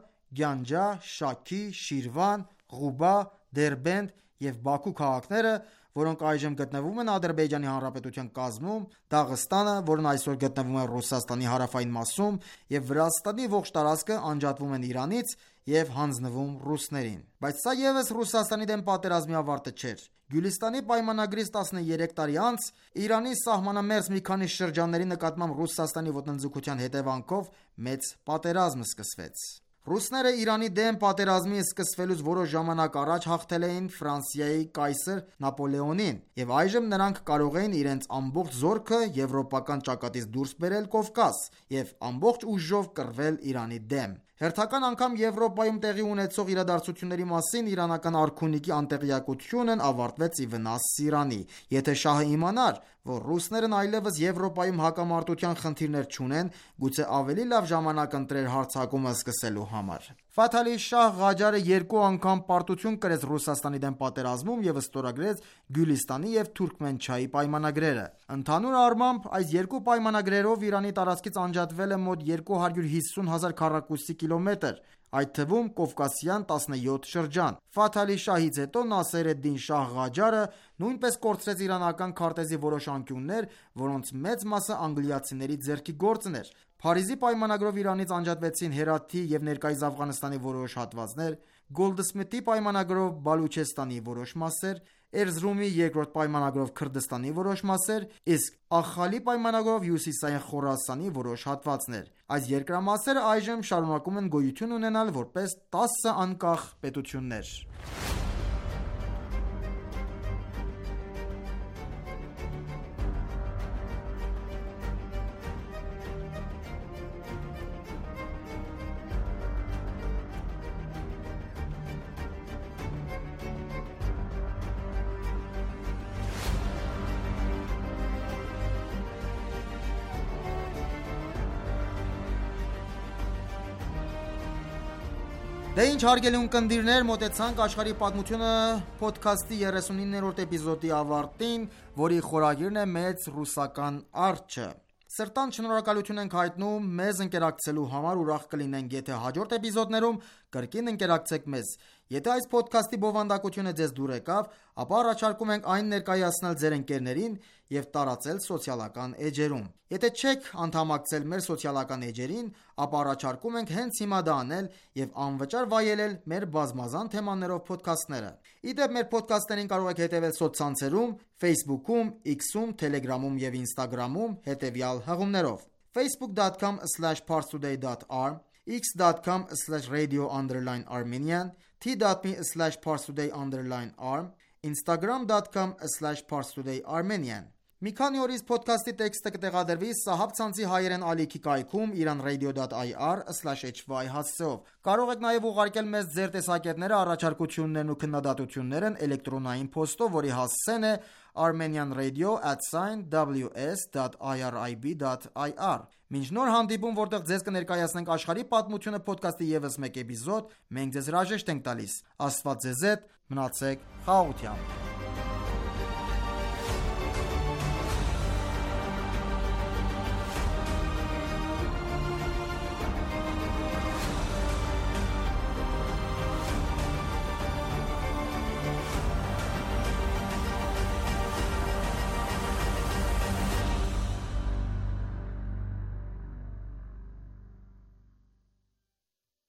Գյանջա, Շաքի, Շիրվան, Ղուբա, Դերբենդ եւ Բաքու քաղաքները, որոնք այժմ գտնվում են Ադրբեջանի Հանրապետության կազմում, Դաղստանը, որն այսօր գտնվում է Ռուսաստանի հարավային մասում, եւ Վրաստանի ողջ տարածքը անջատվում են Իրանից եւ հանձնվում ռուսներին։ Բայց սա եւս Ռուսաստանի դեմ պատերազմի ավարտը չէր։ Գյուլիստանի պայմանագրից 13 տարի անց Իրանի սահմանամերձ մի քանի շրջանների նկատմամբ Ռուսաստանի ոտնձգության հետևանքով մեծ պատերազմ սկսվեց։ Ռուսները Իրանի դեմ պատերազմի սկսվելուց որոշ ժամանակ առաջ հաղթել էին Ֆրանսիայի կայսր Նապոլեոնին, եւ այժմ նրանք կարող էին իրենց ամբողջ զորքը եվրոպական ճակատից դուրս բերել Կովկաս եւ ամբողջ ուժով կռվել Իրանի դեմ։ Հերթական անգամ Եվրոպայում տեղի ունեցող իրադարձությունների մասին իրանական արքունիքի անտեղյակությունն ավարտվեց ի վնաս Իրանի։ Եթե շահը իմանար, որ ռուսներն այլևս Եվրոպայում հակամարտության խնդիրներ չունեն, գուցե ավելի լավ ժամանակ ընտրեր հարձակումը սկսելու համար։ Ֆաթ Ալի Շահ Ղաջարը երկու անգամ պարտություն կրեց Ռուսաստանի դեմ պատերազմում եւ ստորագրեց Գյուլիստանի եւ Թուրքմենչայի պայմանագրերը։ Ընդհանուր առմամբ այս երկու պայմանագրերով Իրանի տարածքից անջատվել է մոտ 250,000 քառակուսի կիլոմետր, այդ թվում Կովկասյան 17 շրջան։ Ֆաթ Ալի Շահից հետո Նասեր էդ-Դին Շահ Ղաջարը նույնպես կորցրեց իրանական քարտեզի որոշ անկյուններ, որոնց մեծ մասը անգլիացիների ձեռքի գործն էր։ Փարիզի պայմանագրով Իրանից անջատվեցին Հերաթի եւ ներկայիս Աֆղանստանի որոշ հատվածներ, Գոլդսմիթի պայմանագրով Բալուչեստանի որոշ մասեր, Էրզրումի երկրորդ պայմանագրով Քրդստանի որոշ մասեր, իսկ Ախալի պայմանագրով Հյուսիսային Խորասանի որոշ հատվածներ։ Այս երկրամասերը այժմ շարունակում են գոյություն ունենալ որպես 10 անկախ պետություններ։ Դե ինչ հարգելի ունկնդիրներ, մոտեցանք աշխարհի պատմությունը ոդքասթի 39-րդ էպիզոդի ավարտին, որի խորագիրն է մեծ ռուսական արջը։ Սրտան շնորհակալություն ենք հայտնում մեզ ընկերակցելու համար, ուրախ կլինենք, եթե հաջորդ էպիզոդներում կրկին ընկերակցեք մեզ։ Եթե այս ոդքասթի բովանդակությունը ձեզ դուր եկավ, ապա առաջարկում ենք այն ներկայացնել ձեր ընկերներին և տարածել սոցիալական էջերում։ Եթե չեք անդամակցել մեր սոցիալական էջերին, ապա առաջարկում ենք հենց հիմա դա անել և անվճար վայելել մեր բազմազան թեմաներով փոդքասթները։ Ի դեպ, մեր փոդքասթներին կարող եք հետևել սոցցանցերում, Facebook-ում, X-ում, Telegram-ում և Instagram-ում հետևյալ հղումներով. facebook.com/parstoday.r, x.com/radio_armenian, t.me/parstoday_arm, instagram.com/parstodayarmenian։ Մի քանի օրից փոդքասթի տեքստը կտեղադրվի Սահաբ ցանցի հայերեն ալիքի կայքում iranradio.ir/hy հասցեով։ Կարող եք նաև ուղարկել մեզ ձեր տեսակետները, առաջարկություններն ու քննադատություններն էլեկտրոնային փոստով, որի հասցեն է armenianradio@ws.irib.ir։ Մինչ նոր հանդիպում, որտեղ ձեզ կներկայացնենք աշխարհի պատմությունը փոդքասթի ևս մեկ էպիզոդ, մենք ձեզ հրաժեշտ ենք տալիս։ Աստված ձեզ հետ, մնացեք խաղաղությամբ։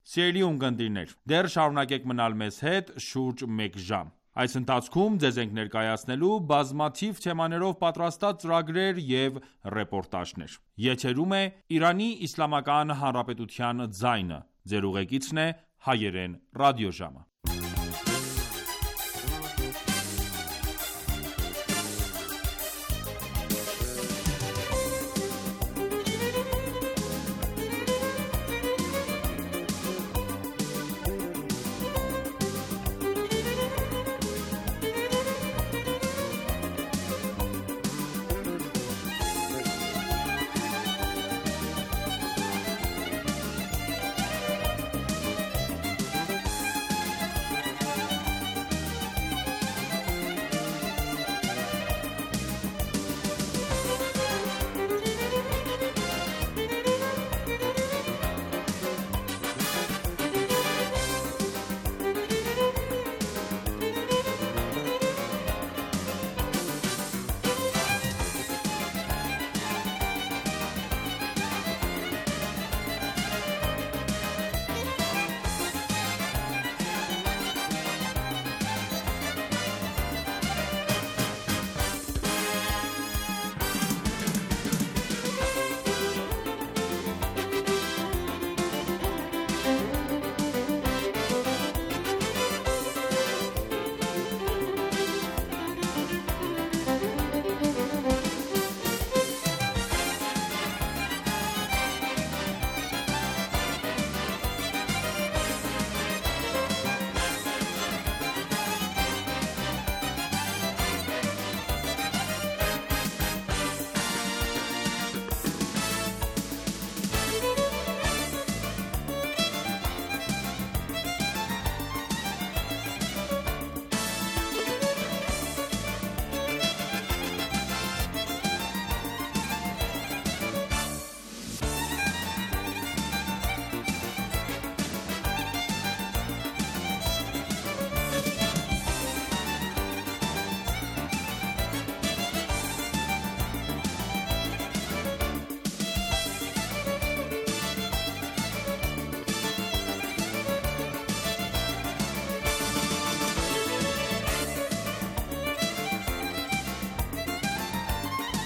Սիրելի ունկնդիրներ, դեռ շարունակեք մնալ մեզ հետ շուրջ մեկ ժամ։ Այս ընթացքում ձեզ ենք ներկայացնելու բազմաթիվ թեմաներով պատրաստած ծրագրեր և ռեպորտաժներ։ Եթերում է Իրանի Իսլամական Հանրապետության ձայնը։ Ձեր ուղեկիցն է հայերեն ռադիոժամը։